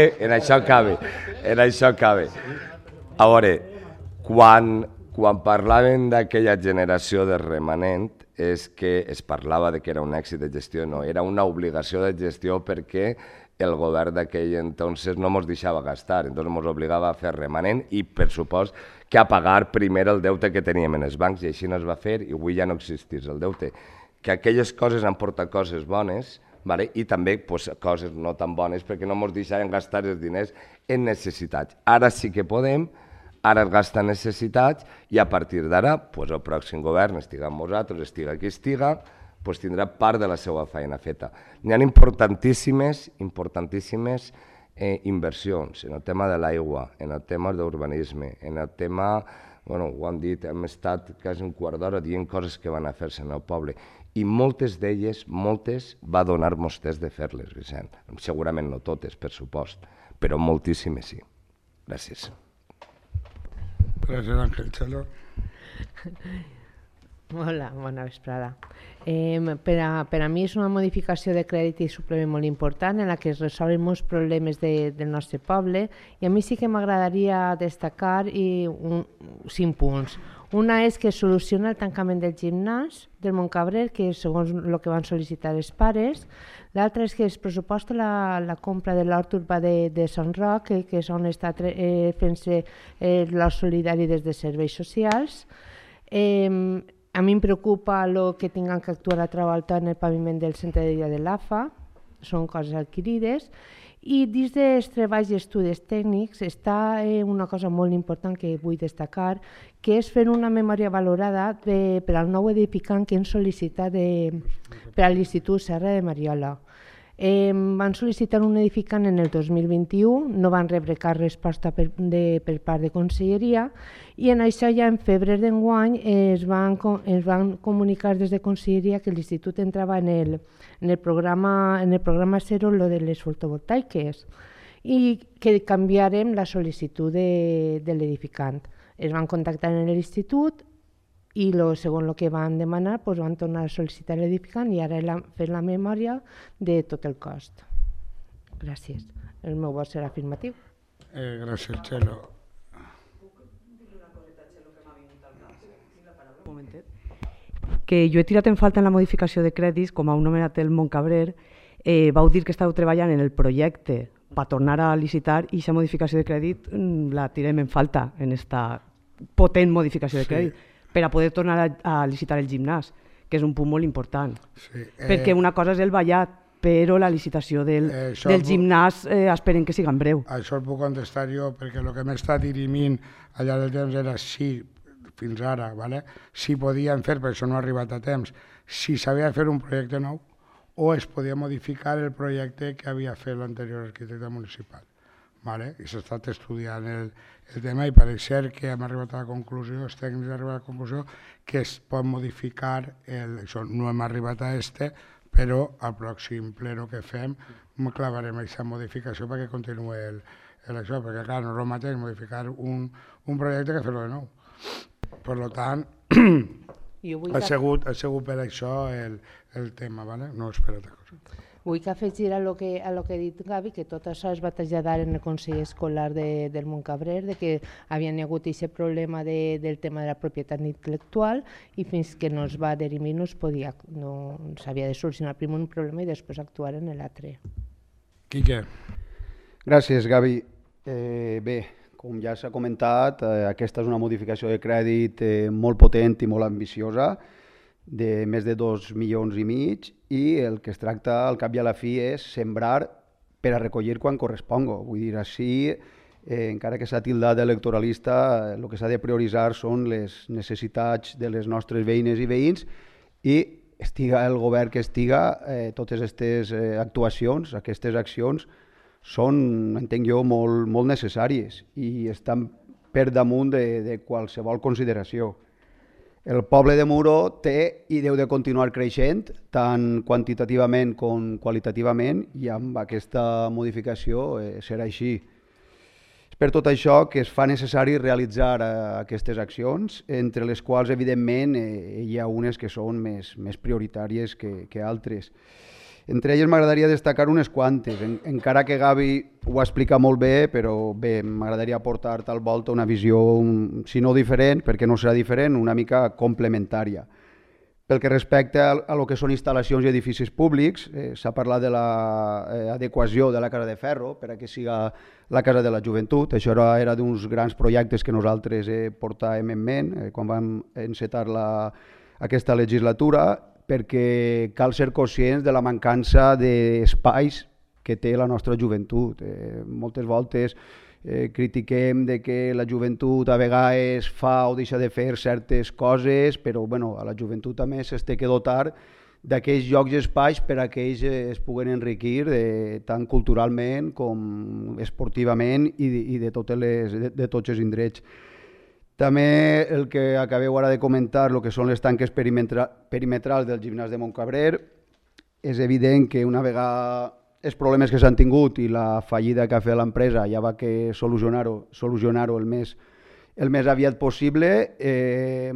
A veure, quan parlaven d'aquella generació de remanent, és que es parlava de que era un èxit de gestió, no, era una obligació de gestió perquè el govern d'aquell entonces no ens deixava gastar, entonces ens obligava a fer remanent i, per supost, que a pagar primer el deute que teníem en els bancs, i així no es va fer i avui ja no existís el deute. Que aquelles coses han portat coses bones, vale? I també coses no tan bones perquè no ens deixaven gastar els diners en necessitats. Ara sí que podem, ara es gasta en necessitats i a partir d'ara el pròxim govern, estiga amb nosaltres, estiga qui estiga, tindrà part de la seva feina feta. N'hi ha importantíssimes inversions en el tema de l'aigua, en el tema d'urbanisme, en el tema, ho han dit, hem estat quasi un quart d'hora dient coses que van a fer-se en el poble i moltes d'elles, va donar-nos temps de fer-les, Vicent. Segurament no totes, per supost, però moltíssimes sí. Gràcies. Gràcies, Àngel Xelo. Hola, bona vesprada. Per a mi és una modificació de crèdit i suplement molt important en la que es resolen molts problemes del nostre poble i a mi sí que m'agradaria destacar 5 punts. Una és que soluciona el tancament del gimnàs del Montcabrer, que segons el que van sol·licitar els pares. L'altra és que es pressuposta la compra de l'hort urbà de Sant Roc, que és on està fent-se l'hort solidari des de serveis socials. A mi em preocupa el que tinguin que actuar a Travolta en el paviment del centre de dia de l'AFA, són coses adquirides, i dins dels treballs i estudis tècnics està una cosa molt important que vull destacar, que és fer una memòria valorada per al nou edificant que hem sol·licitat per a l'Institut Serra de Mariola. Van sol·licitar un edificant en el 2021, no van rebre cap resposta per part de Conselleria i en això ja en febrer d'enguany es van comunicar des de Conselleria que l'Institut entrava en el programa zero lo de les fotovoltaiques i que canviarem la sol·licitud de l'edificant. Es van contactar en l'Institut i segons el que van demanar van tornar a sol·licitar l'edificant i ara fer la memòria de tot el cost. Gràcies. El meu vot serà afirmatiu. Gràcies, Xelo. Que jo he tirat en falta en la modificació de crèdits, com heu nomenat el Montcabrer, vau dir que estàu treballant en el projecte per tornar a licitar i aquesta modificació de crèdit la tirem en falta en aquesta potent modificació de crèdit per a poder tornar a licitar el gimnàs, que és un punt molt important. Perquè una cosa és el ballat, però la licitació del gimnàs esperem que siga en breu. Això el puc contestar jo, perquè el que m'he estat dirimint al llarg del temps era si, fins ara, si podien fer, perquè això no ha arribat a temps, si s'havia de fer un projecte nou o es podia modificar el projecte que havia fet l'anterior arquitecte municipal. I s'ha estat estudiant el tema i pareix ser que hem arribat a la conclusió, els tècnics han arribat a la conclusió que es pot modificar, això no hem arribat a però al pròxim pleno que fem clavarem aquesta modificació perquè continuï això, perquè clar, no és el mateix modificar un projecte que fer-lo de nou. Per tant, ha sigut per això el tema, no és per altra cosa. Vull que afegir a lo que ha dit Gavi, que tot això es va traslladar en el Consell Escolar del Montcabrer, de que havia hagut aquest problema del tema de la propietat intel·lectual i fins que no es va dirimir no s'havia de solucionar primer un problema i després actuar en l'altre. Quique. Gràcies, Gavi. Bé, com ja s'ha comentat, aquesta és una modificació de crèdit molt potent i molt ambiciosa, de més de 2,5 milions i el que es tracta al cap i a la fi és sembrar per a recollir quan corresponga. Vull dir, així, encara que s'ha tildat d'electoralista, el que s'ha de prioritzar són les necessitats de les nostres veïnes i veïns i estiga el govern que estiga, totes aquestes actuacions, aquestes accions són, entenc jo, molt necessàries i estan per damunt de qualsevol consideració. El poble de Muro té i deu de continuar creixent, tant quantitativament com qualitativament, i amb aquesta modificació serà així. per tot això que es fa necessari realitzar aquestes accions, entre les quals, evidentment, hi ha unes que són més prioritàries que altres. Entre elles m'agradaria destacar unes quantes, encara que Gavi ho explica molt bé, però bé, m'agradaria aportar tal volta una visió, si no diferent, perquè no serà diferent, una mica complementària. Pel que respecta a lo que són instal·lacions i edificis públics, s'ha parlat de l'adequació de la Casa de Ferro per a que siga la Casa de la Joventut. Això era d'uns grans projectes que nosaltres portàvem en ment quan vam encetar aquesta legislatura, perquè cal ser conscients de la mancança d'espais que té la nostra joventut. Moltes voltes critiquem de que la joventut a vegades fa o deixa de fer certes coses, però a la joventut també s'ha de dotar d'aquells llocs i espais per a que ells es puguen enriquir tant culturalment com esportivament i de tots els indrets. També el que acabeu ara de comentar, el que són les tanques perimetrals del gimnàs de Montcabrer, és evident que una vegada els problemes que s'han tingut i la fallida que ha fet l'empresa ja va que solucionar-ho el més aviat possible.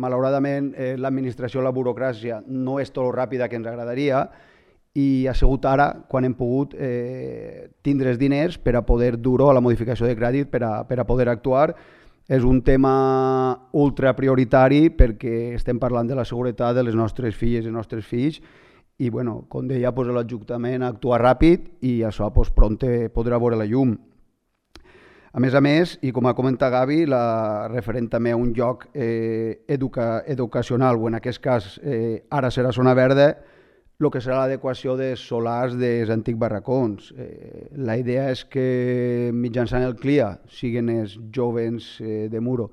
Malauradament l'administració, la burocràcia no és tot ràpida que ens agradaria i ha sigut ara quan hem pogut tindre els diners per a poder dur-ho a la modificació de crèdit per a poder actuar. És un tema ultra prioritari perquè estem parlant de la seguretat de les nostres filles i els nostres fills i, com deia, l'Ajuntament actua ràpid i això prompte podrà veure la llum. A més, i com ha comentat Gavi, referent també a un lloc educacional, o en aquest cas ara serà zona verda, el que serà l'adequació dels solars dels antics barracons. La idea és que mitjançant el CLIA siguin els joves de Muro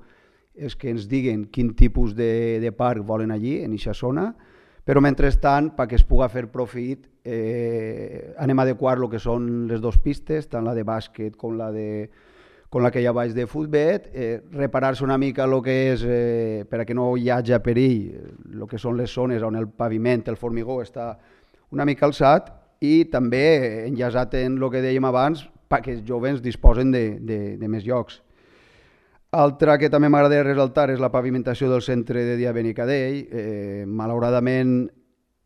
els que ens diguen quin tipus de parc volen allí, en aquesta zona, però mentrestant, perquè es pugui fer profit, anem a adequar el que són les dues pistes, tant la de bàsquet com la que hi ha baix de futbol, reparar-se una mica el que és, per a que no hi hagi perill, el que són les zones on el paviment, el formigó, està una mica alçat i també enllaçat en el que dèiem abans, perquè els joves disposen de més llocs. Altra que també m'agradaria resaltar és la pavimentació del centre de dia Benicadell. Malauradament,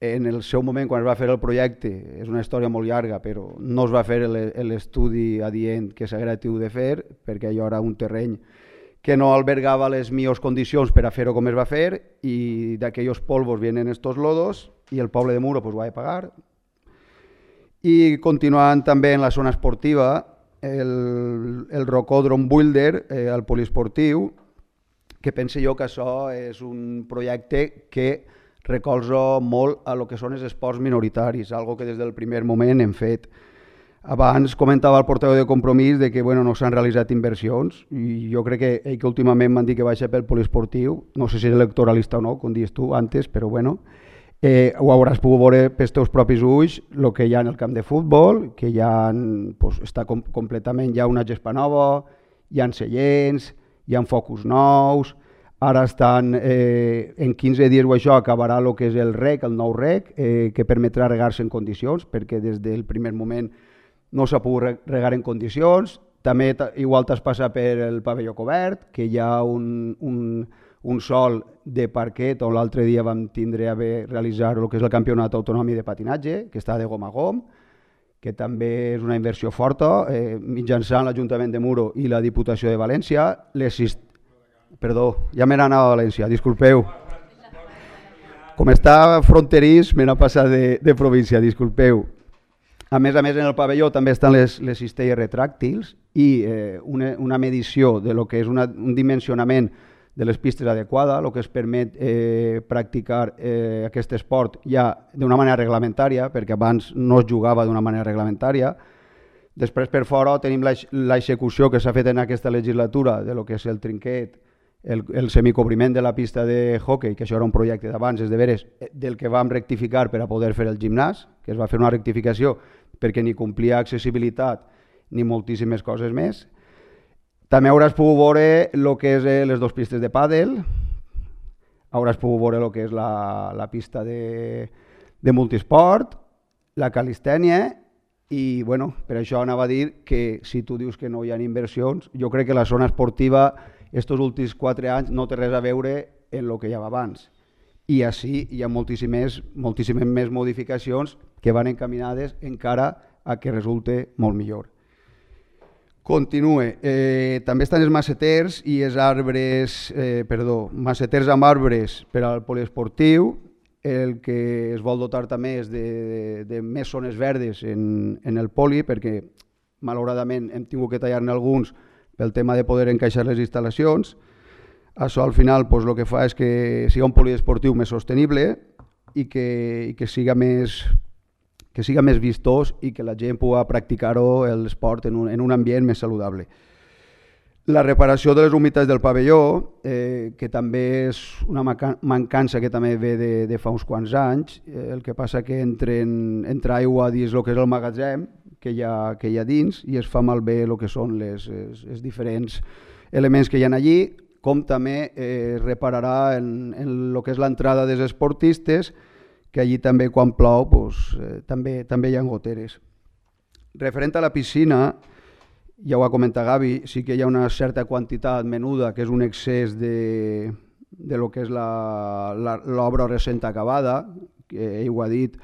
en el seu moment, quan es va fer el projecte, és una història molt llarga, però no es va fer l'estudi adient que s'haguera tingut de fer, perquè allò era un terreny que no albergava les millors condicions per a fer-ho com es va fer, i d'aquells polvos vienen estos lodos, i el poble de Muro ho ha de pagar. I continuant també en la zona esportiva, el Rocòdrom Builder, el poliesportiu, que penso jo que això és un projecte que recolza molt a lo que són els esports minoritaris, algo que des del primer moment hem fet. Abans comentava el portaveu de Compromís de que no s'han realitzat inversions i jo crec que ell que últimament m'han dit que baixa pel poliesportiu, no sé si és electoralista o no, com dius tu antes, però ho hauràs pogut veure pels teus propis ulls el que hi ha en el camp de futbol, que està completament, hi ha una gespa nova, hi ha seients, hi ha focus nous, ara estan en 15 dies o això acabarà el que és el rec, el nou rec, que permetrà regar-se en condicions, perquè des del primer moment no s'ha pogut regar en condicions. També igual t'has passat per el pavelló cobert, que hi ha un sol de parquet on l'altre dia vam tindre a realitzar el que és el campionat autonòmic de patinatge, que està de gom a gom, que també és una inversió forta, mitjançant l'Ajuntament de Muro i la Diputació de València. Perdó, ja me n'ha anat a València, disculpeu. Com està fronterís, me n'ha passat de província, disculpeu. A més, en el pavelló també estan les cistelles retràctils i una medició de lo que és un dimensionament de les pistes adequada, el que es permet practicar aquest esport ja d'una manera reglamentària, perquè abans no es jugava d'una manera reglamentària. Després, per fora, tenim l'execució que s'ha fet en aquesta legislatura de lo que és el trinquet, el semicobriment de la pista de hoquei, que això era un projecte d'abans, és de veres, del que vam rectificar per a poder fer el gimnàs, que es va fer una rectificació perquè ni complia accessibilitat ni moltíssimes coses més. També hauràs pogut veure el que és les dues pistes de pàdel, hauràs pogut veure el que és la pista de multisport, la calistènia I bueno, per això anava a dir que si tu dius que no hi ha inversions, jo crec que la zona esportiva estos últims 4 anys no té res a veure en el que hi havia abans. I així hi ha moltíssimes més modificacions que van encaminades encara a que resulte molt millor. Continue. També estan els maceters i els arbres, maceters amb arbres per al poliesportiu. El que es vol dotar també és de més zones verdes en el poli, perquè malauradament hem tingut que tallar-ne alguns pel tema de poder encaixar les instal·lacions. Això al final el que fa és que siga un poliesportiu més sostenible i que siga més vistós i que la gent pugui practicar-ho, l'esport, en un ambient més saludable. La reparació de les humitats del pavelló, que també és una mancança que també ve de fa uns quants anys. El que passa que entra aigua dins el que és el magatzem que hi ha dins i es fa malbé el que són els diferents elements que hi ha allí, com també es repararà en el que és l'entrada dels esportistes, que allí també quan plou també hi ha goteres. Referent a la piscina, ja ho ha comentat Gavi, sí que hi ha una certa quantitat menuda, que és un excés de lo que és l'obra recent acabada, que ell ho ha dit,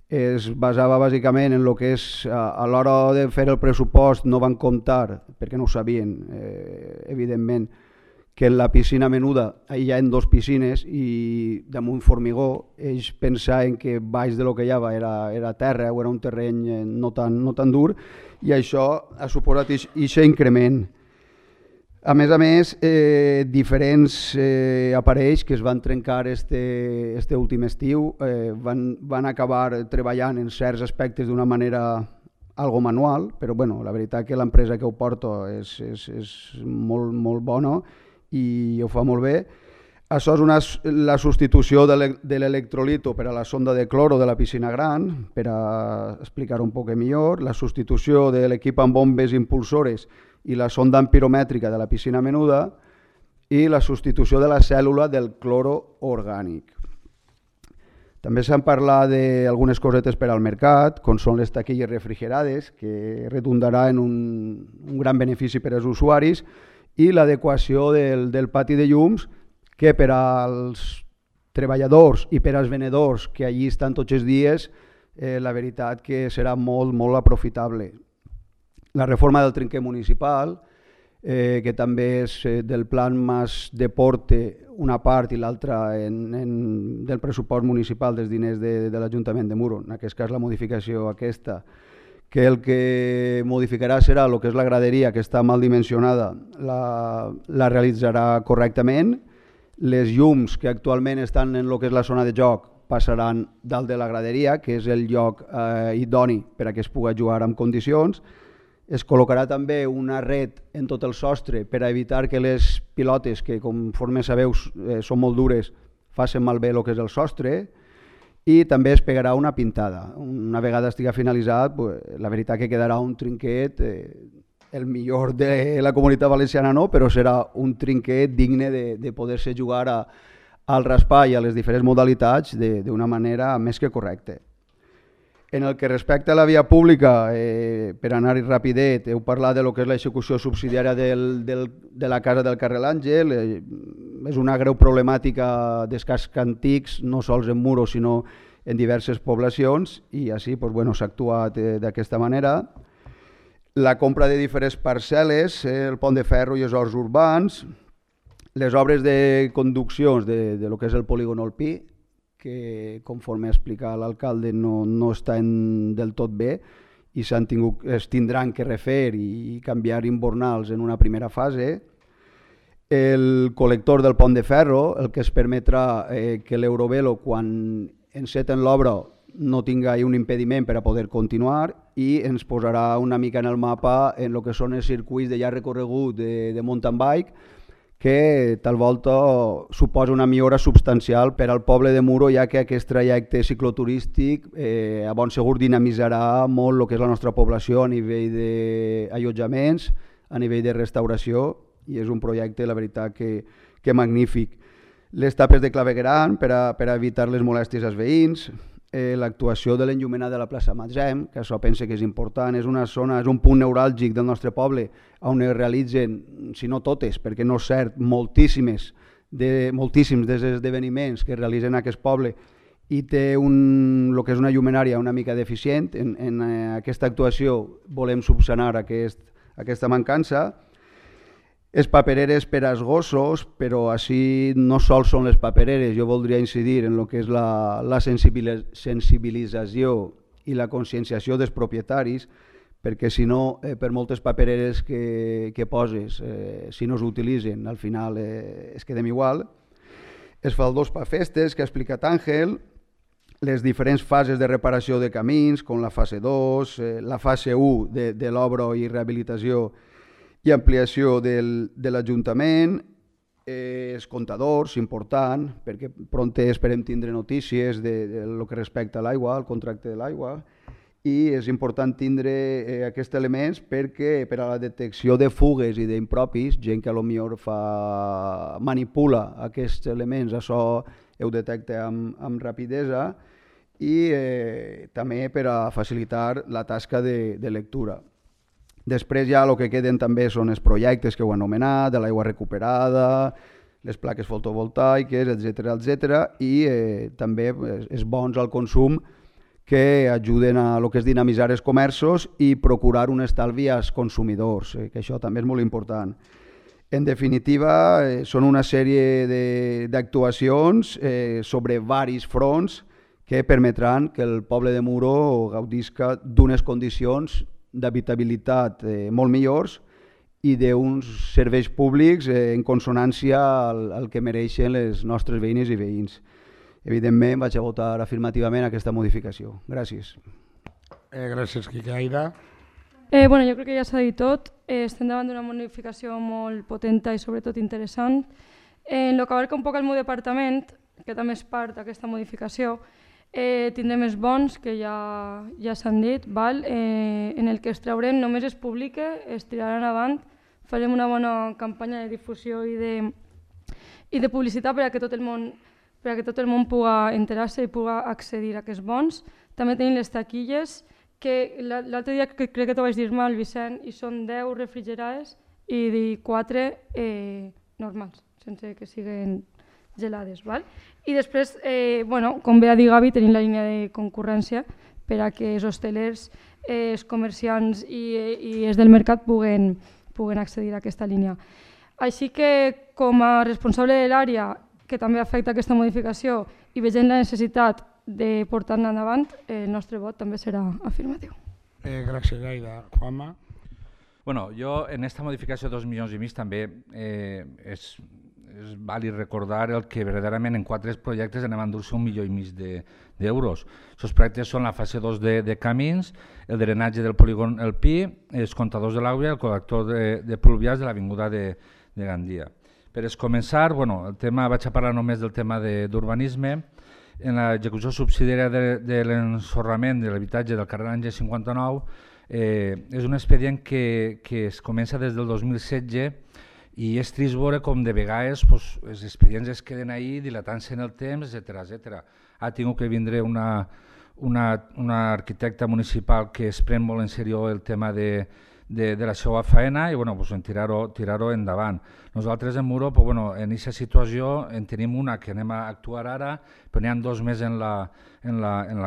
es basava bàsicament en el que és, a l'hora de fer el pressupost no van comptar, perquè no ho sabien, evidentment, que en la piscina menuda hi ha 2 piscines i damunt formigó. Ells pensaven que baix de lo que hi havia era terra o era un terreny no tan dur, i això ha suposat aquest increment. A més, diferents aparells que es van trencar este últim estiu van acabar treballant en certs aspectes d'una manera algo manual, però bueno, la veritat que l'empresa que ho porta és molt bona i ho fa molt bé. Això és la substitució de l'electrolito per a la sonda de cloro de la piscina gran, per a explicar un poc millor, la substitució de l'equip amb bombes impulsores i la sonda empiromètrica de la piscina menuda i la substitució de la cèl·lula del cloro orgànic. També s'han parlat d'algunes cosetes per al mercat, com són les taquilles refrigerades, que redundarà en un gran benefici per als usuaris, i l'adequació del pati de llums, que per als treballadors i per als venedors que allí estan tots els dies, la veritat que serà molt aprofitable. La reforma del trinquer municipal, que també és del plan Mas Deporte una part i l'altra del pressupost municipal dels diners de l'Ajuntament de Muro, en aquest cas la modificació aquesta, que el que modificarà serà el que és la graderia, que està mal dimensionada, la realitzarà correctament. Les llums que actualment estan en el que és la zona de joc passaran dalt de la graderia, que és el lloc idoni per a que es pugui jugar en condicions. Es col·locarà també una red en tot el sostre per a evitar que les pilotes, que conforme sabeu són molt dures, facin malbé el que és el sostre. I també es pegarà una pintada. Una vegada estigui finalitzat, la veritat que quedarà un trinquet, el millor de la Comunitat Valenciana no, però serà un trinquet digne de poder-se jugar al raspar i a les diferents modalitats d'una manera més que correcta. En el que respecta a la via pública, per anar-hi rapidet, heu parlat de lo que és l'execució subsidiària de la casa del carrer L'Àngel. És una greu problemàtica dels cascs antics, no sols en Muro, sinó en diverses poblacions, i així s'ha actuat d'aquesta manera. La compra de diferents parcel·les, el pont de ferro i els horts urbans, les obres de conduccions de lo que és el polígon Olpí, que conforme ha explicat l'alcalde no estan del tot bé i es tindran que refer i canviar imbornals en una primera fase. El col·lector del pont de ferro, el que es permetrà que l'Eurovelo, quan enceten l'obra, no tinga un impediment per a poder continuar, i ens posarà una mica en el mapa en el que són els circuits de llarg recorregut de mountain bike, que tal volta suposa una millora substancial per al poble de Muro, ja que aquest trajecte cicloturístic a bon segur dinamitzarà molt el que és la nostra població a nivell d'allotjaments, a nivell de restauració, i és un projecte, la veritat, que magnífic. Les tapes de clavegueram per a evitar les molèsties als veïns, l'actuació de l'enllumenat de la plaça Matzem, que això pense que és important, és una zona, és un punt neuràlgic del nostre poble on es realitzen, si no totes, perquè no és cert, moltíssims dels esdeveniments que es realitzen en aquest poble i té el que és una llumenària una mica deficient. En aquesta actuació volem subsanar aquesta mancança. Les papereres per als gossos, però així no sols són les papereres, jo voldria incidir en el que és la sensibilització i la conscienciació dels propietaris, perquè si no, per moltes papereres que poses, si no s'utilitzen, al final es quedem igual. Es faldós per festes, que ha explicat Àngel, les diferents fases de reparació de camins, com la fase 2, la fase 1 de l'obra i rehabilitació i ampliació de l'Ajuntament, els comptadors, important, perquè pront esperem tindre notícies de lo que respecta a l'aigua, el contracte de l'aigua, i és important tindre aquests elements perquè per a la detecció de fugues i d'impropis, gent que potser manipula aquests elements, això ho detecta amb rapidesa, i també per a facilitar la tasca de lectura. Després ja el que queden també són els projectes que heu anomenat, de l'aigua recuperada, les plaques fotovoltaiques, etc. I també és bons al consum que ajuden a lo que és dinamitzar els comerços i procurar un estalvi als consumidors, que això també és molt important. En definitiva, són una sèrie d'actuacions sobre varis fronts que permetran que el poble de Muro gaudisca d'unes condicions d'habitabilitat molt millors i d'uns serveis públics en consonància al que mereixen les nostres veïnes i veïns. Evidentment, vaig a votar afirmativament aquesta modificació. Gràcies. Gràcies, Quique. Aida? Jo crec que ja s'ha dit tot. Estem davant d'una modificació molt potenta i sobretot interessant. En el que abarca un poc el meu departament, que també és part d'aquesta modificació, tindrem els bons, que ja s'han dit, en el que es traurem només es publica, es tiraran avant, farem una bona campanya de difusió i de publicitat per a que tot el món pugui enterar-se i pugui accedir a aquests bons. També tenim les taquilles, que l'altre dia crec que t'ho vaig dir mal, Vicent, i són 10 refrigerades i 4 normals, sense que siguin gelades. I després, com bé ha dit Gavi, tenim la línia de concurrència per a que els hostelers, els comerciants i els del mercat puguen accedir a aquesta línia. Així que, com a responsable de l'àrea que també afecta aquesta modificació i veient la necessitat de portar-la endavant, el nostre vot també serà afirmatiu. Gràcies, Aida. Juanma? Jo en aquesta modificació de 2,5 milions també és vàlid recordar el que verdaderament en 4 projectes anem a endur-se 1,5 milions d'euros. Aquests projectes són la fase 2 de camins, el drenatge del polígon El Pi, els comptadors de l'aigua i el col·lector de pluvials de l'avinguda de Gandia. Per començar, vaig a parlar només del tema d'urbanisme. En l'execució subsidiària de l'ensorrament de l'habitatge del carrer Àngel 59 és un expedient que es comença des del 2016 i és trist veure com de vegades els expedients es queden ahí dilatant-se en el temps, etc. Ha tingut que vindre una arquitecta municipal que es pren molt en sèrio el tema de la seva feina i en tirar-ho endavant. Nosaltres en Muro, en aquesta situació en tenim una que anem a actuar ara, però n'hi ha 2 més en la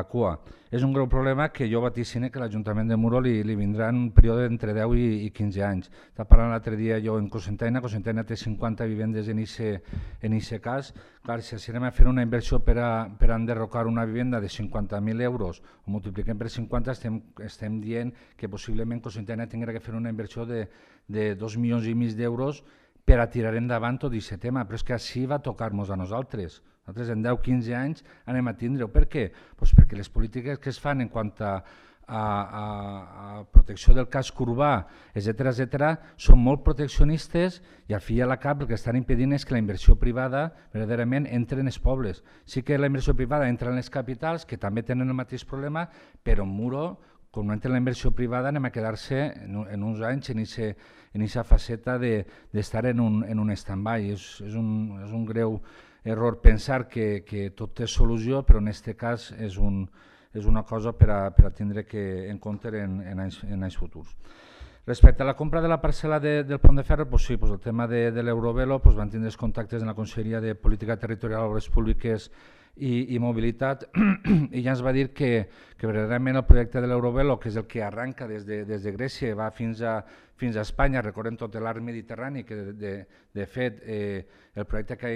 cua. És un greu problema que jo vaticine que l'Ajuntament de Muro li vindrà en un període d'entre 10 i 15 anys. Estava parlant l'altre dia jo en Cocentaina té 50 vivendes en aquest cas. Clar, si anem a fer una inversió per a enderrocar una vivenda de 50.000 euros, ho multipliquem per 50, estem dient que possiblement Cocentaina tindrà que fer una inversió de 2,5 milions d'euros per a tirar endavant tot aquest tema, però és que així va tocar-nos a nosaltres. Nosaltres en 10-15 anys anem a tindre-ho. Per què? Perquè les polítiques que es fan en quant a protecció del casc urbà, etc., són molt proteccionistes i al fi i a la cap el que estan impedint és que la inversió privada verdaderament entri en els pobles. Sí que la inversió privada entra en les capitals, que també tenen el mateix problema, però en Muro, com no entra la inversió privada, anem a quedar-se en uns anys en aquesta faceta d'estar en un stand-by. És un greu error pensar que tot té solució, però en aquest cas és una cosa per a tindre en compte en anys futurs. Respecte a la compra de la parcel·la del Pont de Ferro, sí, el tema de l'Eurovelo, van tindre els contactes en la Conselleria de Política Territorial, Obres Públiques i Mobilitat, i ja ens va dir que verdaderament el projecte de l'Eurovelo, que és el que arranca des de Grècia i va fins a Espanya, recordem tot l'arc mediterrani, que de fet el projecte que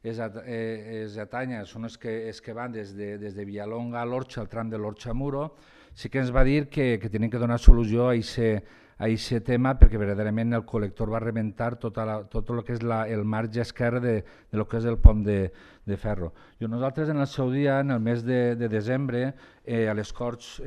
ells atanya són els que van des de Villalonga a l'Orxa, al tram de l'Orxa-Muro. Sí que ens va dir que tenien que donar solució a aquest tema perquè verdaderament el col·lector va rebentar tot el que és el marge esquerre de lo que és el pont de ferro. Nosaltres en el seu dia, en el mes de desembre, a les Corts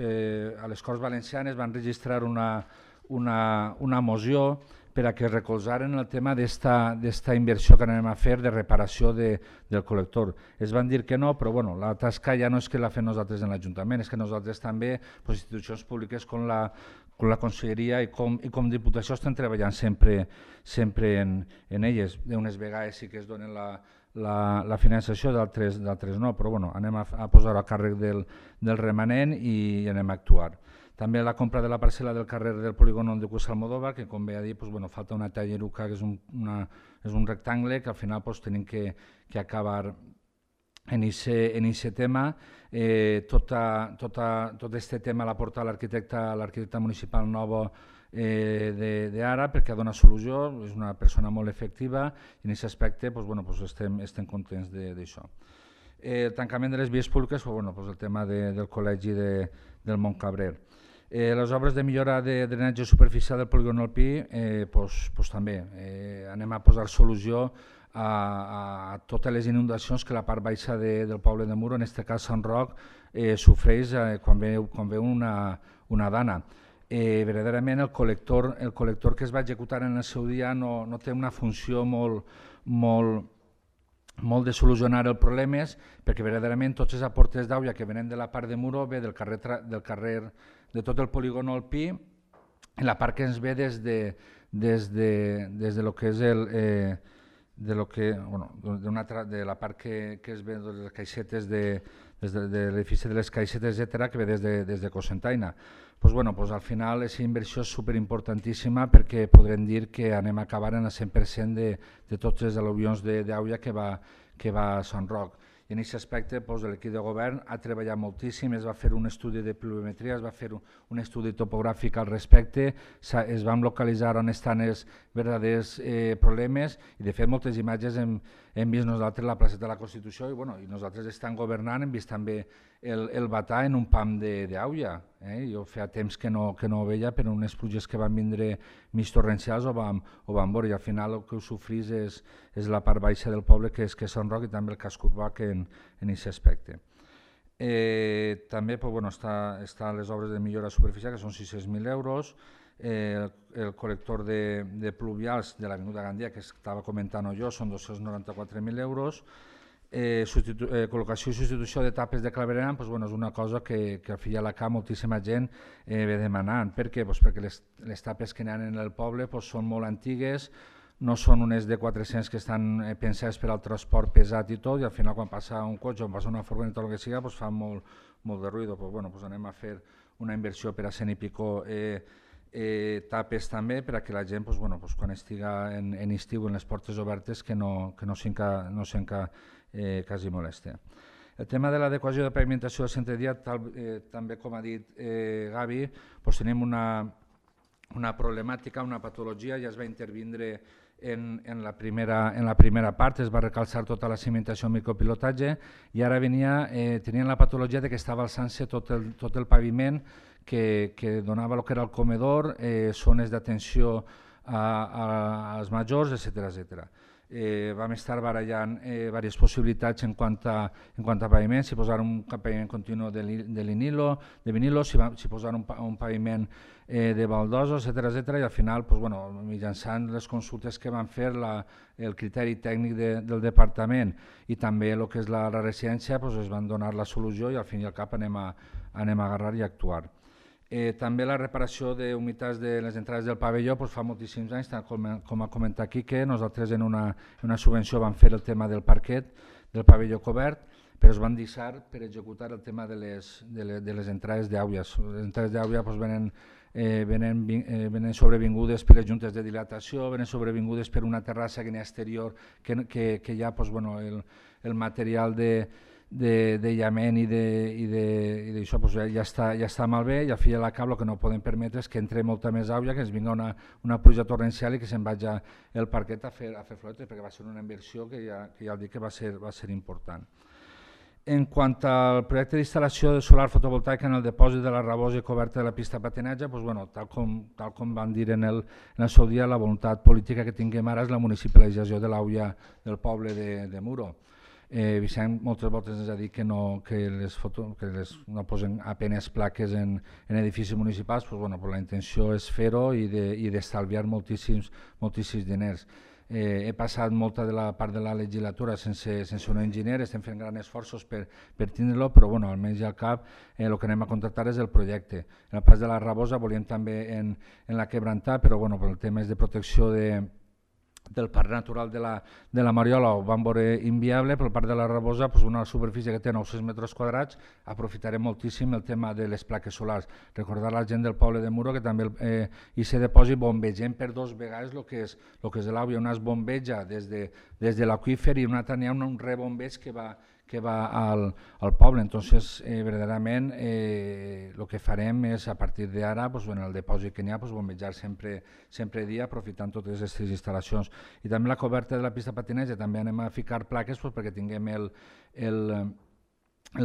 Valencianes van registrar una moció per a que recolzaren el tema d'esta inversió que anem a fer de reparació del col·lector. Es van dir que no, però la tasca ja no és que la fem nosaltres en l'Ajuntament, és que nosaltres també, institucions públiques com la Conselleria i com Diputació estem treballant sempre en elles. D'unes vegades sí que es donen la finançació, d'altres no, però anem a posar-ho a càrrec del remanent i anem a actuar. També la compra de la parcel·la del carrer del polígon de Cuesta Almodóvar, que com ve a dir, falta una talleruca, que és un rectangle, que al final tenim que acabar en aquest tema. Tot aquest tema l'ha portat l'arquitecte municipal Novo d'ara, perquè dona solució, és una persona molt efectiva i en aquest aspecte estem contents d'això. El tancament de les vies públiques, el tema del col·legi del Montcabrer. Les obres de millora de drenatge superficial del polígon alpí, també anem a posar solució a totes les inundacions que la part baixa del poble de Muro, en aquest cas Sant Roc, sofreix quan ve una dana. Verdaderament el col·lector que es va executar en el seu dia no té una funció molt de solucionar els problemes, perquè verdaderament tots els aportes d'aigua que venen de la part de Muro ve del carrer de tot el polígon alpí, en la part que ens ve des de lo que és de la part que es ve de les caixetes de l'edifici de les caixetes, etc., que ve des de Cocentaina. Al final aquesta inversió és superimportantíssima perquè podrem dir que anem a acabar en el 100% de tots els al·luvions d'aigua que va a Sant Roc. I en aquest aspecte l'equip de govern ha treballat moltíssim, es va fer un estudi de pluviometria, es va fer un estudi topogràfic al respecte, es van localitzar on estan els verdaders problemes i de fet moltes imatges hem vist nosaltres a la plaça de la Constitució i nosaltres estem governant, hem vist també el batà en un pam d'aigua. Jo feia temps que no ho veia per unes pluges que van vindre mig torrencials o van veure i al final el que ho sofrís és la part baixa del poble que és Sant Roc i també el casc urbà en aquest aspecte. També estan les obres de millora superficial que són 600.000 euros, el col·lector de pluvials de l'Avinguda Gandia que estava comentant jo són 294.000 euros, col·locació i substitució de tapes de clavegueram és una cosa que al fi i a la cap moltíssima gent ve demanant. Per què? Perquè les tapes que hi ha en el poble són molt antigues, no són unes de 400 que estan pensades per al transport pesat i tot, i al final quan passa un cotxe o passa una furgoneta o el que sigui fan molt de ruïdo. Anem a fer una inversió per a 100 i pico tapes també perquè la gent quan estiga en estiu en les portes obertes que no sent quasi molesta. El tema de l'adequació de pavimentació del centre dia, també com ha dit Gavi, tenim una problemàtica, una patologia, ja es va intervindre en la primera part, es va recalçar tota la cimentació en micropilotatge i ara tenien la patologia que estava alçant-se tot el paviment que donava el que era el comedor, zones d'atenció als majors, etc. Vam estar barallant diverses possibilitats en quant a paviment, si posar un paviment continu de vinilo, si posar un paviment de baldosos, etc. I al final, mitjançant les consultes que van fer, el criteri tècnic del departament i també el que és la residència, es van donar la solució i al fin i al cap anem a agarrar i actuar. També la reparació d'humitats de les entrades del pavelló fa moltíssims anys, tal com ha comentat Quique, nosaltres en una subvenció vam fer el tema del parquet del pavelló cobert, però es van deixar per executar el tema de les entrades d'aigües. Les entrades d'aigua venen sobrevingudes per les juntes de dilatació, venen sobrevingudes per una terrassa que n'hi ha exterior, que hi ha el material d'aïllament i d'això ja està malbé, i al fi i a la cap el que no podem permetre és que entre molta més aigua, que ens vinga una pluja torrencial i que se'n vagi el parquet a fer floretes, perquè va ser una inversió que ja dic que va ser important. En quant al projecte d'instal·lació de solar fotovoltaica en el depòsit de la rabosa i coberta de la pista de patinatge, tal com van dir en el seu dia, la voluntat política que tinguem ara és la municipalització de l'AUIA del poble de Muro. Vicent moltes voltes ens ha dit que no posen apenes plaques en edificis municipals, la intenció és fer-ho i d'estalviar moltíssims diners. He passat molta de la part de la legislatura sense un enginyer, estem fent grans esforços per tindre-lo, però almenys al cap el que anem a contractar és el projecte. En el pas de la rabosa volíem també en la quebrantar, però el tema és de protecció del parc natural de la Mariola ho vam veure inviable, però el parc de la Rabosa, una superfície que té 900 metres quadrats, aprofitarem moltíssim el tema de les plaques solars. Recordar a la gent del poble de Muro que també aquest depòsit bombegem per 2 vegades el que és l'àgua, una es bombeja des de l'aqüífer i una altra n'hi ha un rebombeig que va al poble. Entonces, verdaderament, el que farem és, a partir d'ara, en el depòsit que n'hi ha, bombejar sempre dia, aprofitant totes aquestes instal·lacions. I també la coberta de la pista de patinatge, també anem a ficar plaques perquè tinguem el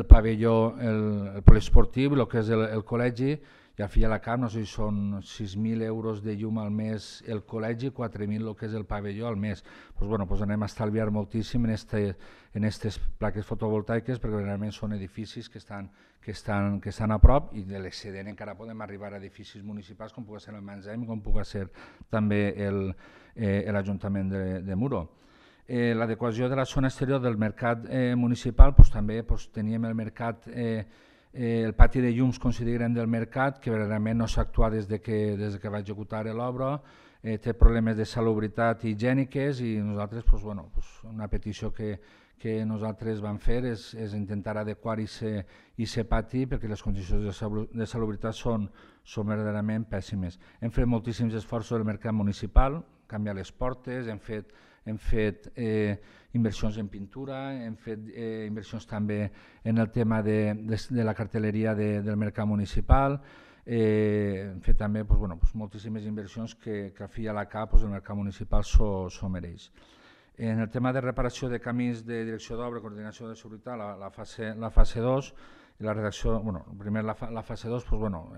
pavelló, el poliesportiu, el que és el col·legi, i al fi i a la cap, no sé si són 6.000 euros de llum al mes el col·legi, 4.000 el que és el pavelló al mes. Anem a estalviar moltíssim en aquestes plaques fotovoltaiques, perquè realment són edificis que estan a prop, i de l'excedent encara podem arribar a edificis municipals com pugui ser el Mansheim, com pugui ser també l'Ajuntament de Muro. L'adequació de la zona exterior del mercat municipal, també teníem el mercat, el pati de llums considerem del mercat, que verdaderament no s'ha actuat des que va executar l'obra, té problemes de salubritat higièniques, i nosaltres, una petició que nosaltres vam fer és intentar adequar aquest pati, perquè les condicions de salubritat són verdaderament pèssimes. Hem fet moltíssims esforços del mercat municipal, canviar les portes, hem fet inversions en pintura, hem fet inversions també en el tema de la cartelleria del mercat municipal, hem fet també moltíssimes inversions que al fi i a la cap el mercat municipal s'ho mereix. En el tema de reparació de camins de direcció d'obra, coordinació de seguretat, la fase 2, i la redacció, primer la fase 2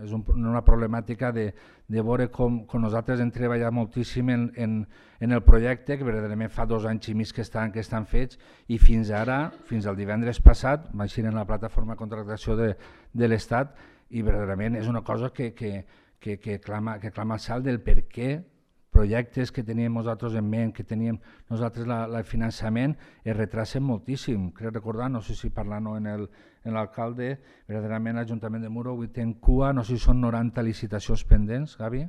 és una problemàtica de veure com nosaltres hem treballat moltíssim en el projecte, que verdaderament fa 2 anys i mig que estan fets, i fins ara, fins al divendres passat, va eixir en la plataforma de contractació de l'Estat, i verdaderament és una cosa que clama el salt del per què projectes que teníem nosaltres en ment, que teníem nosaltres el finançament, es retracen moltíssim. Crec recordar, no sé si parlant en l'alcalde, verdaderament l'Ajuntament de Muro avui té en cua, no sé si són 90 licitacions pendents, Gavi?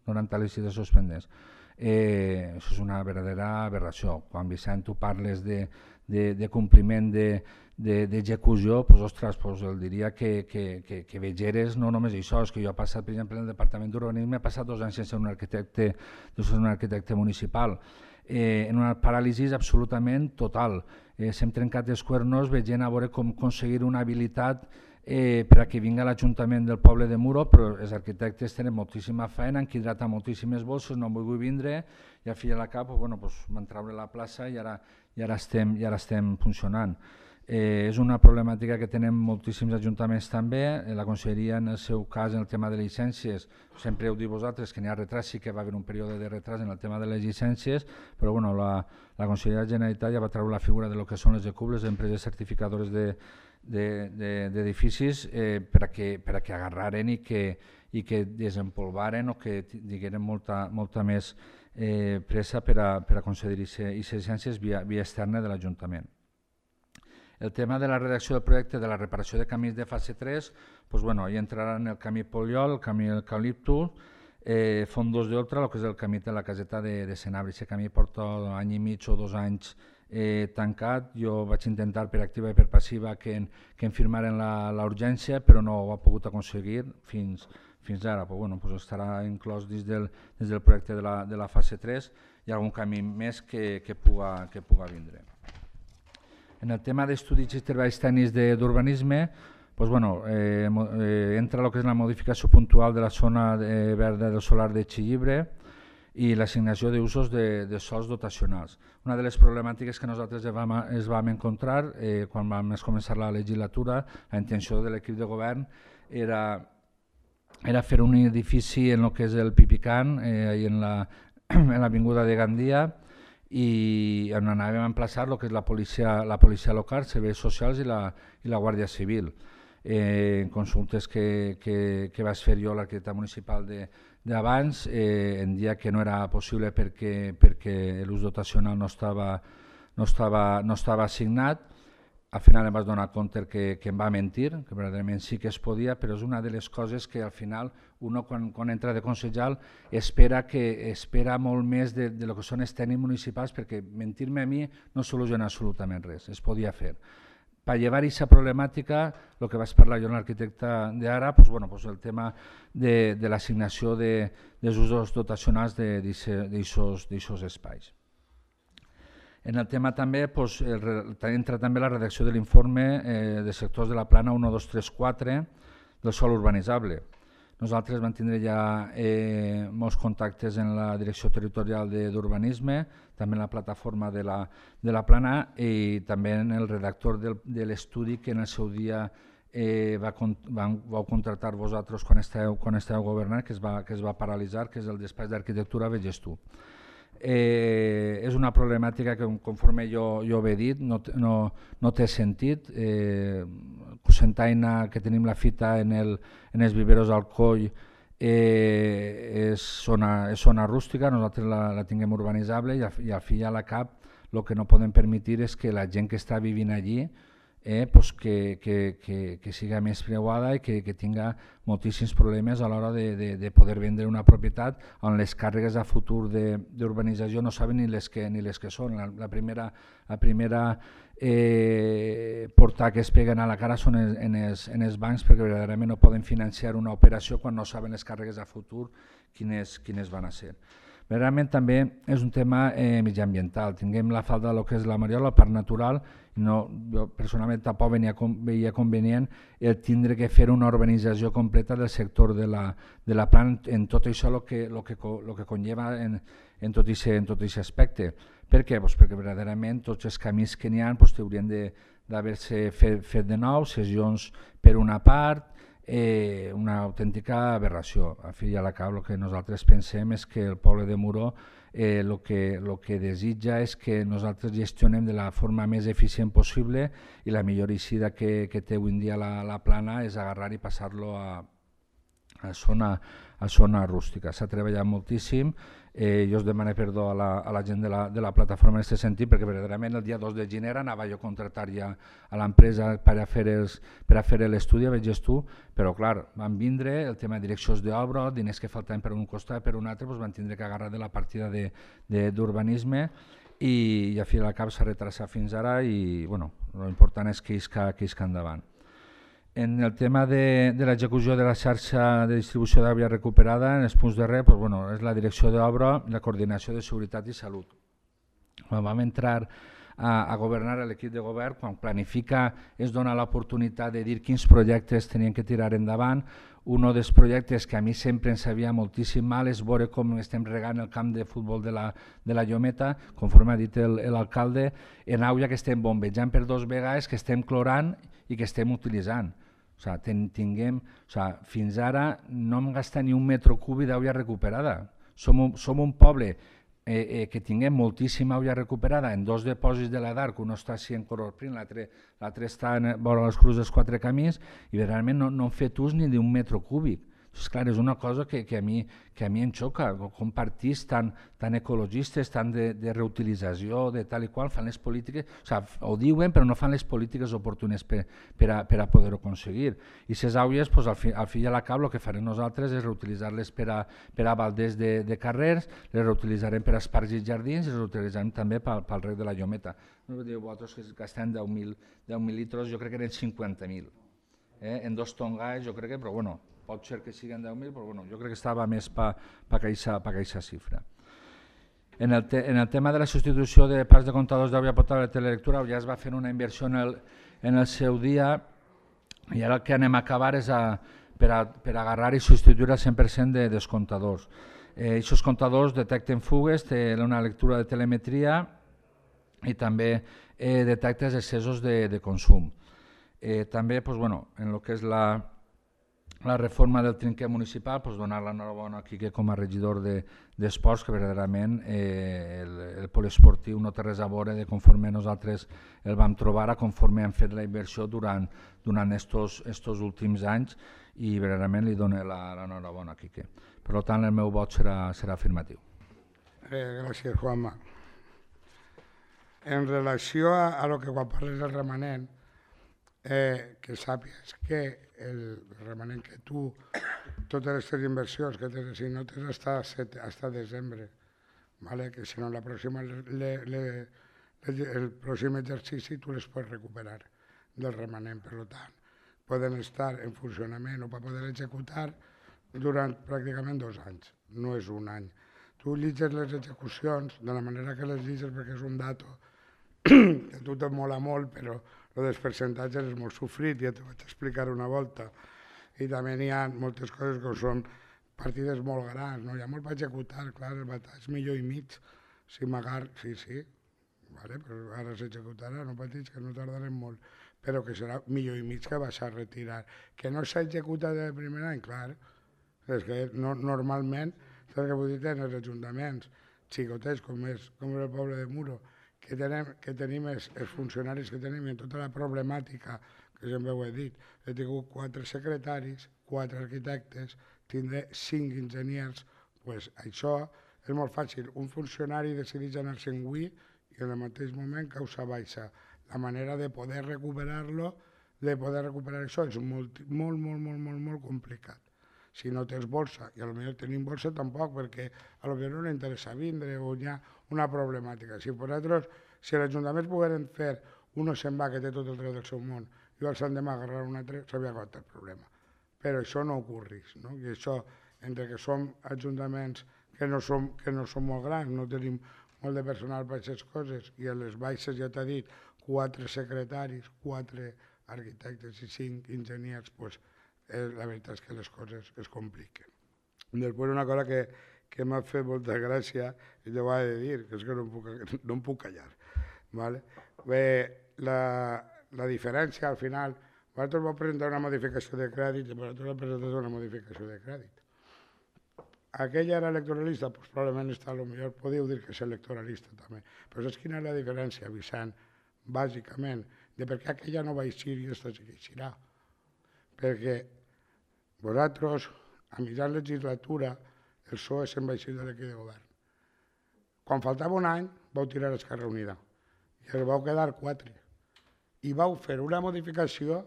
90 licitacions pendents. Això és una verdadera aberració. Quan, Vicent, tu parles de compliment d'execució, ostres, el diria que vegeres no només això, és que jo he passat, per exemple, en el Departament d'Urbanisme, he passat 2 anys sense un arquitecte municipal, en una paràlisi absolutament total. S'hem trencat els cuernos veient a veure com aconseguir una habilitat per a que vingui a l'Ajuntament del poble de Muro, però els arquitectes tenen moltíssima feina, han hidratat moltíssimes bosses, no vull vindre, i al fi i a la cap van treure la plaça i ara estem funcionant. És una problemàtica que tenen moltíssims ajuntaments també. La Conselleria, en el seu cas, en el tema de llicències, sempre heu dit vosaltres que n'hi ha retras, sí que va haver un període de retras en el tema de les llicències, però la Conselleria de la Generalitat ja va treure la figura de lo que són les ECUB, les empreses certificadores d'edificis, per a que agarraren i que desempolvaren o que digueren molta més pressa per a concedir aquestes llicències via externa de l'Ajuntament. El tema de la redacció del projecte de la reparació de camins de fase 3, doncs, bueno, hi entraran el camí Poliol, el camí Eucaliptus, Fondos d'Oltra, el que és el camí de la caseta de Senabri. Aquest camí porta un any i mig o 2 anys tancat. Jo vaig intentar per activa i per passiva que em firmaren la urgència, però no ho ha pogut aconseguir fins ara. Però, bueno, doncs estarà inclòs dins del projecte de la fase 3 i algun camí més que puga vindre. En el tema d'estudis i treballs tècnics d'urbanisme, doncs, bueno, entra el que és la modificació puntual de la zona verda del solar de Xillibre i l'assignació d'usos de sols dotacionals. Una de les problemàtiques que nosaltres es vam encontrar quan vam començar la legislatura, la intenció de l'equip de govern era fer un edifici en el que és el Pipican, en l'avinguda de Gandia, i on anàvem a emplaçar el que és la policia local, serveis socials i la Guàrdia Civil. En consultes que vaig fer jo a l'arquitecte municipal d'abans, em deia que no era possible perquè l'ús dotacional no estava assignat. Al final em vaig donar compte que em va mentir, que verdaderament sí que es podia, però és una de les coses que al final un quan entra de consellal espera molt més de lo que són els tècnics municipals, perquè mentir-me a mi no soluciona absolutament res, es podia fer. Per llevar aquesta problemàtica, el que vaig parlar jo amb l'arquitecte d'ara, el tema de l'assignació dels usos dotacionals d'aquests espais. En el tema també entra també la redacció de l'informe de sectors de la plana 1, 2, 3, 4 del sòl urbanitzable. Nosaltres vam tindre ja molts contactes en la Direcció Territorial d'Urbanisme, també en la plataforma de la plana i també en el redactor de l'estudi que en el seu dia vau contractar vosaltres quan esteu governant, que es va paralitzar, que és el despatx d'arquitectura Veges tu. És una problemàtica que, conforme jo he dit, no té sentit. Cocentaina, que tenim la fita en els viveros al Coll, és zona rústica, nosaltres la tinguem urbanitzable i al fi i a la cap el que no podem permetre és que la gent que està vivint allí que siga més preuada i que tinga moltíssims problemes a l'hora de poder vendre una propietat on les càrregues a futur d'urbanització no saben ni les que són. La primera portar que es peguen a la cara són en els bancs, perquè verdaderament no poden financiar una operació quan no saben les càrregues a futur quines van a ser. Verdaderament també és un tema mediambiental. Tinguem la falda del que és la Mariola, el parc natural, jo personalment tampoc veia convenient el tindre que fer una urbanització completa del sector de la plana en tot això el que conlleva en tot aquest aspecte. Per què? Perquè verdaderament tots els camins que n'hi ha haurien d'haver-se fet de nou, cessions per una part, una autèntica aberració. A fi i a la cap el que nosaltres pensem és que el poble de Muro el que desitja és que nosaltres gestionem de la forma més eficient possible i la millor eixida que té avui en dia la plana és agarrar i passar-lo a zona rústica. S'ha treballat moltíssim, jo us demano perdó a la gent de la plataforma en aquest sentit, perquè verdaderament el dia 2 de gener anava jo a contractar ja a l'empresa per a fer l'estudi, Veges tu, però clar, van vindre el tema de direccions d'obra, diners que faltaven per un costat, per un altre, van tindre que agarrar de la partida d'urbanisme i a fi al cap s'ha retrasat fins ara i l'important és que isca endavant. En el tema de l'execució de la xarxa de distribució d'aigua recuperada, en els punts de res, és la direcció d'obra i la coordinació de seguretat i salut. Quan vam entrar a governar l'equip de govern, quan planifica es dona l'oportunitat de dir quins projectes tenien que tirar endavant. Un dels projectes que a mi sempre em sabia moltíssim mal és veure com estem regant el camp de futbol de la Llometa, conforme ha dit l'alcalde, en aigua que estem bombejant per 2 vegades, que estem clorant i que estem utilitzant. Fins ara no hem gastat ni un metro cúbic d'aigua recuperada. Som un poble que tinguem moltíssima aigua recuperada en 2 depòsits de la DARC, un està així en Cororprín, l'altre està vora les Crues dels 4 Camins, i realment no hem fet ús ni d'un metro cúbic. És clar, és una cosa que a mi em xoca, com partits tan ecologistes, tan de reutilització, de tal i qual, fan les polítiques, ho diuen però no fan les polítiques oportunes per a poder-ho aconseguir. I les aigües, al fi i a la cap, el que farem nosaltres és reutilitzar-les per a balders de carrers, les reutilitzarem per a parcs i jardins i les reutilitzarem també pel rec de la Llometa. No dieu vosaltres que gastem 10.000 litres, jo crec que eren 50.000. En 2 tongats, jo crec que, però bueno, pot ser que siguin 10.000, però bueno, jo crec que estava més per aquesta xifra. En el tema de la substitució de parcs de comptadors d'aigua potable de telelectura ja es va fer una inversió en el seu dia i ara el que anem a acabar és per agarrar i substituir el 100% dels comptadors. Aquests comptadors detecten fugues, tenen una lectura de telemetria i també detecten excessos de consum. També en el que és la reforma del trinquet municipal, donar l'enhorabona aquí com a regidor d'esports, que verdaderament el poliesportiu no té res a veure de conforme nosaltres el vam trobar a conforme hem fet la inversió durant estos últims anys i verdaderament li dono l'enhorabona a Quique. Per tant, el meu vot serà afirmatiu. Gràcies, Juanma. En relació a lo que quan parles del remanent, que sàpies que el remanent que tu, totes aquestes inversions que tens assignotes hasta desembre, que si no el pròxim exercici tu les pots recuperar del remanent. Per tant, poden estar en funcionament o per poder executar durant pràcticament 2 anys, no és un any. Tu llitges les execucions de la manera que les llitges perquè és un dato que a tu te mola molt, però el dels percentatges és molt sofrit, ja t'ho vaig explicar una volta. I també n'hi ha moltes coses que són partides molt grans, hi ha molt per executar, clar, el batall és 1,5 milions, si m'agar, sí, però ara s'executarà, no patits, que no tardarem molt, però que serà 1,5 milions que vas a retirar. Que no s'ha executat el primer any, clar, és que normalment, saps què vull dir, en els ajuntaments xicotets, com és el poble de Muro, que tenim els funcionaris que tenim i en tota la problemàtica, que sempre ho he dit, he tingut 4 secretaris, 4 arquitectes, tindré 5 enginyers, doncs això és molt fàcil. Un funcionari decideix anar-se'n avui i en el mateix moment causa baixa. La manera de poder recuperar-lo, de poder recuperar això, és molt complicat. Si no tens bolsa, i potser tenim bolsa tampoc, perquè potser no li interessa vindre o hi ha una problemàtica. Si l'Ajuntament pogueren fer, uno se'n va, que té tot el dret del seu món, i els han demà agarrar un altre, s'havia acabat el problema. Però això no ocorreix, i això, entre que som ajuntaments que no som molt grans, no tenim molt de personal per aquestes coses, i a les baixes, ja t'ha dit, 4 secretaris, 4 arquitectes i 5 enginyers, doncs la veritat és que les coses es compliquen. Després una cosa que m'ha fet molta gràcia, i te ho he de dir, que és que no em puc callar. Bé, la diferència al final, vosaltres vau presentar una modificació de crèdit i vosaltres heu presentat una modificació de crèdit. Aquella era electoralista? Doncs probablement potser podeu dir que és electoralista també. Però saps quina és la diferència, Vicent? Bàsicament, de per què aquella no va eixir i aquesta sí que eixirà. Perquè vosaltres, a mitjan legislatura, el PSOE se'n va eixir de l'equip de govern. Quan faltava un any, vau tirar Esquerra Unida i es vau quedar 4. I vau fer una modificació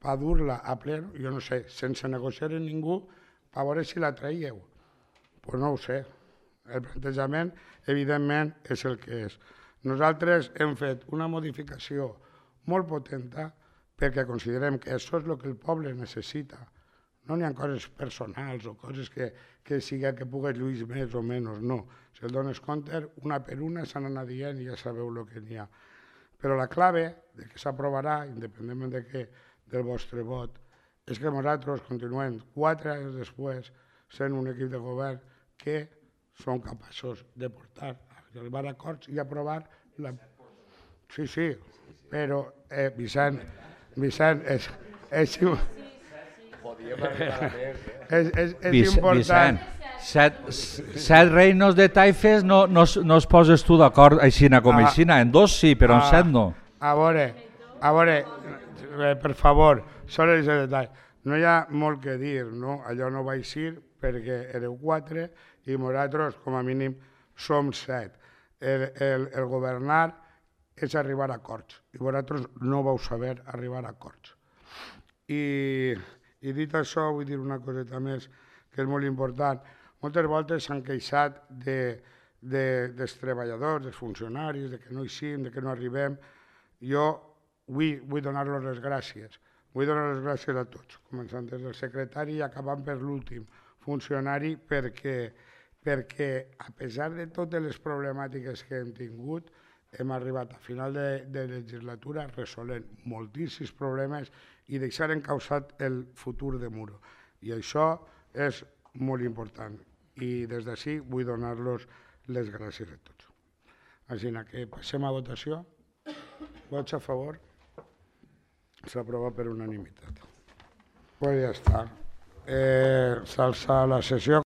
per dur-la a ple, jo no sé, sense negociar amb ningú, per veure si la traíeu. Doncs no ho sé. El plantejament, evidentment, és el que és. Nosaltres hem fet una modificació molt potenta perquè considerem que això és el que el poble necessita. No n'hi ha coses personals o coses que que pugues lluir més o menys, no. Si el dones compte, una per una s'han anat dient i ja sabeu el que n'hi ha. Però la clave de que s'aprovarà, independentment del vostre vot, és que nosaltres continuem 4 anys després sent un equip de govern que som capaços de portar, arribar a acords i aprovar la... Sí, però, Vicent, és important... Vicent, 7 reinos de taifes no es poses tu d'acord aixina com aixina, en 2 sí, però en 7 no. A veure, per favor, solo ese detall. no hi ha molt que dir, no? Allò no va eixir perquè éreu 4 i nosaltres, com a mínim, som 7. El governar és arribar a acords i vosaltres no vau saber arribar a acords. I dit això, vull dir una coseta més que és molt important. Moltes voltes s'han queixat dels treballadors, dels funcionaris, de que no eixim, de que no arribem. Jo vull donar-los les gràcies. Vull donar les gràcies a tots, començant des del secretari i acabant per l'últim funcionari, perquè a pesar de totes les problemàtiques que hem tingut, hem arribat a final de legislatura resolent moltíssims problemes i deixar encausat el futur de Muro. I això és molt important. I des d'ací vull donar-los les gràcies a tots. Així que passem a votació. Vots a favor? S'aprova per unanimitat. Pues ja està. S'alça la sessió.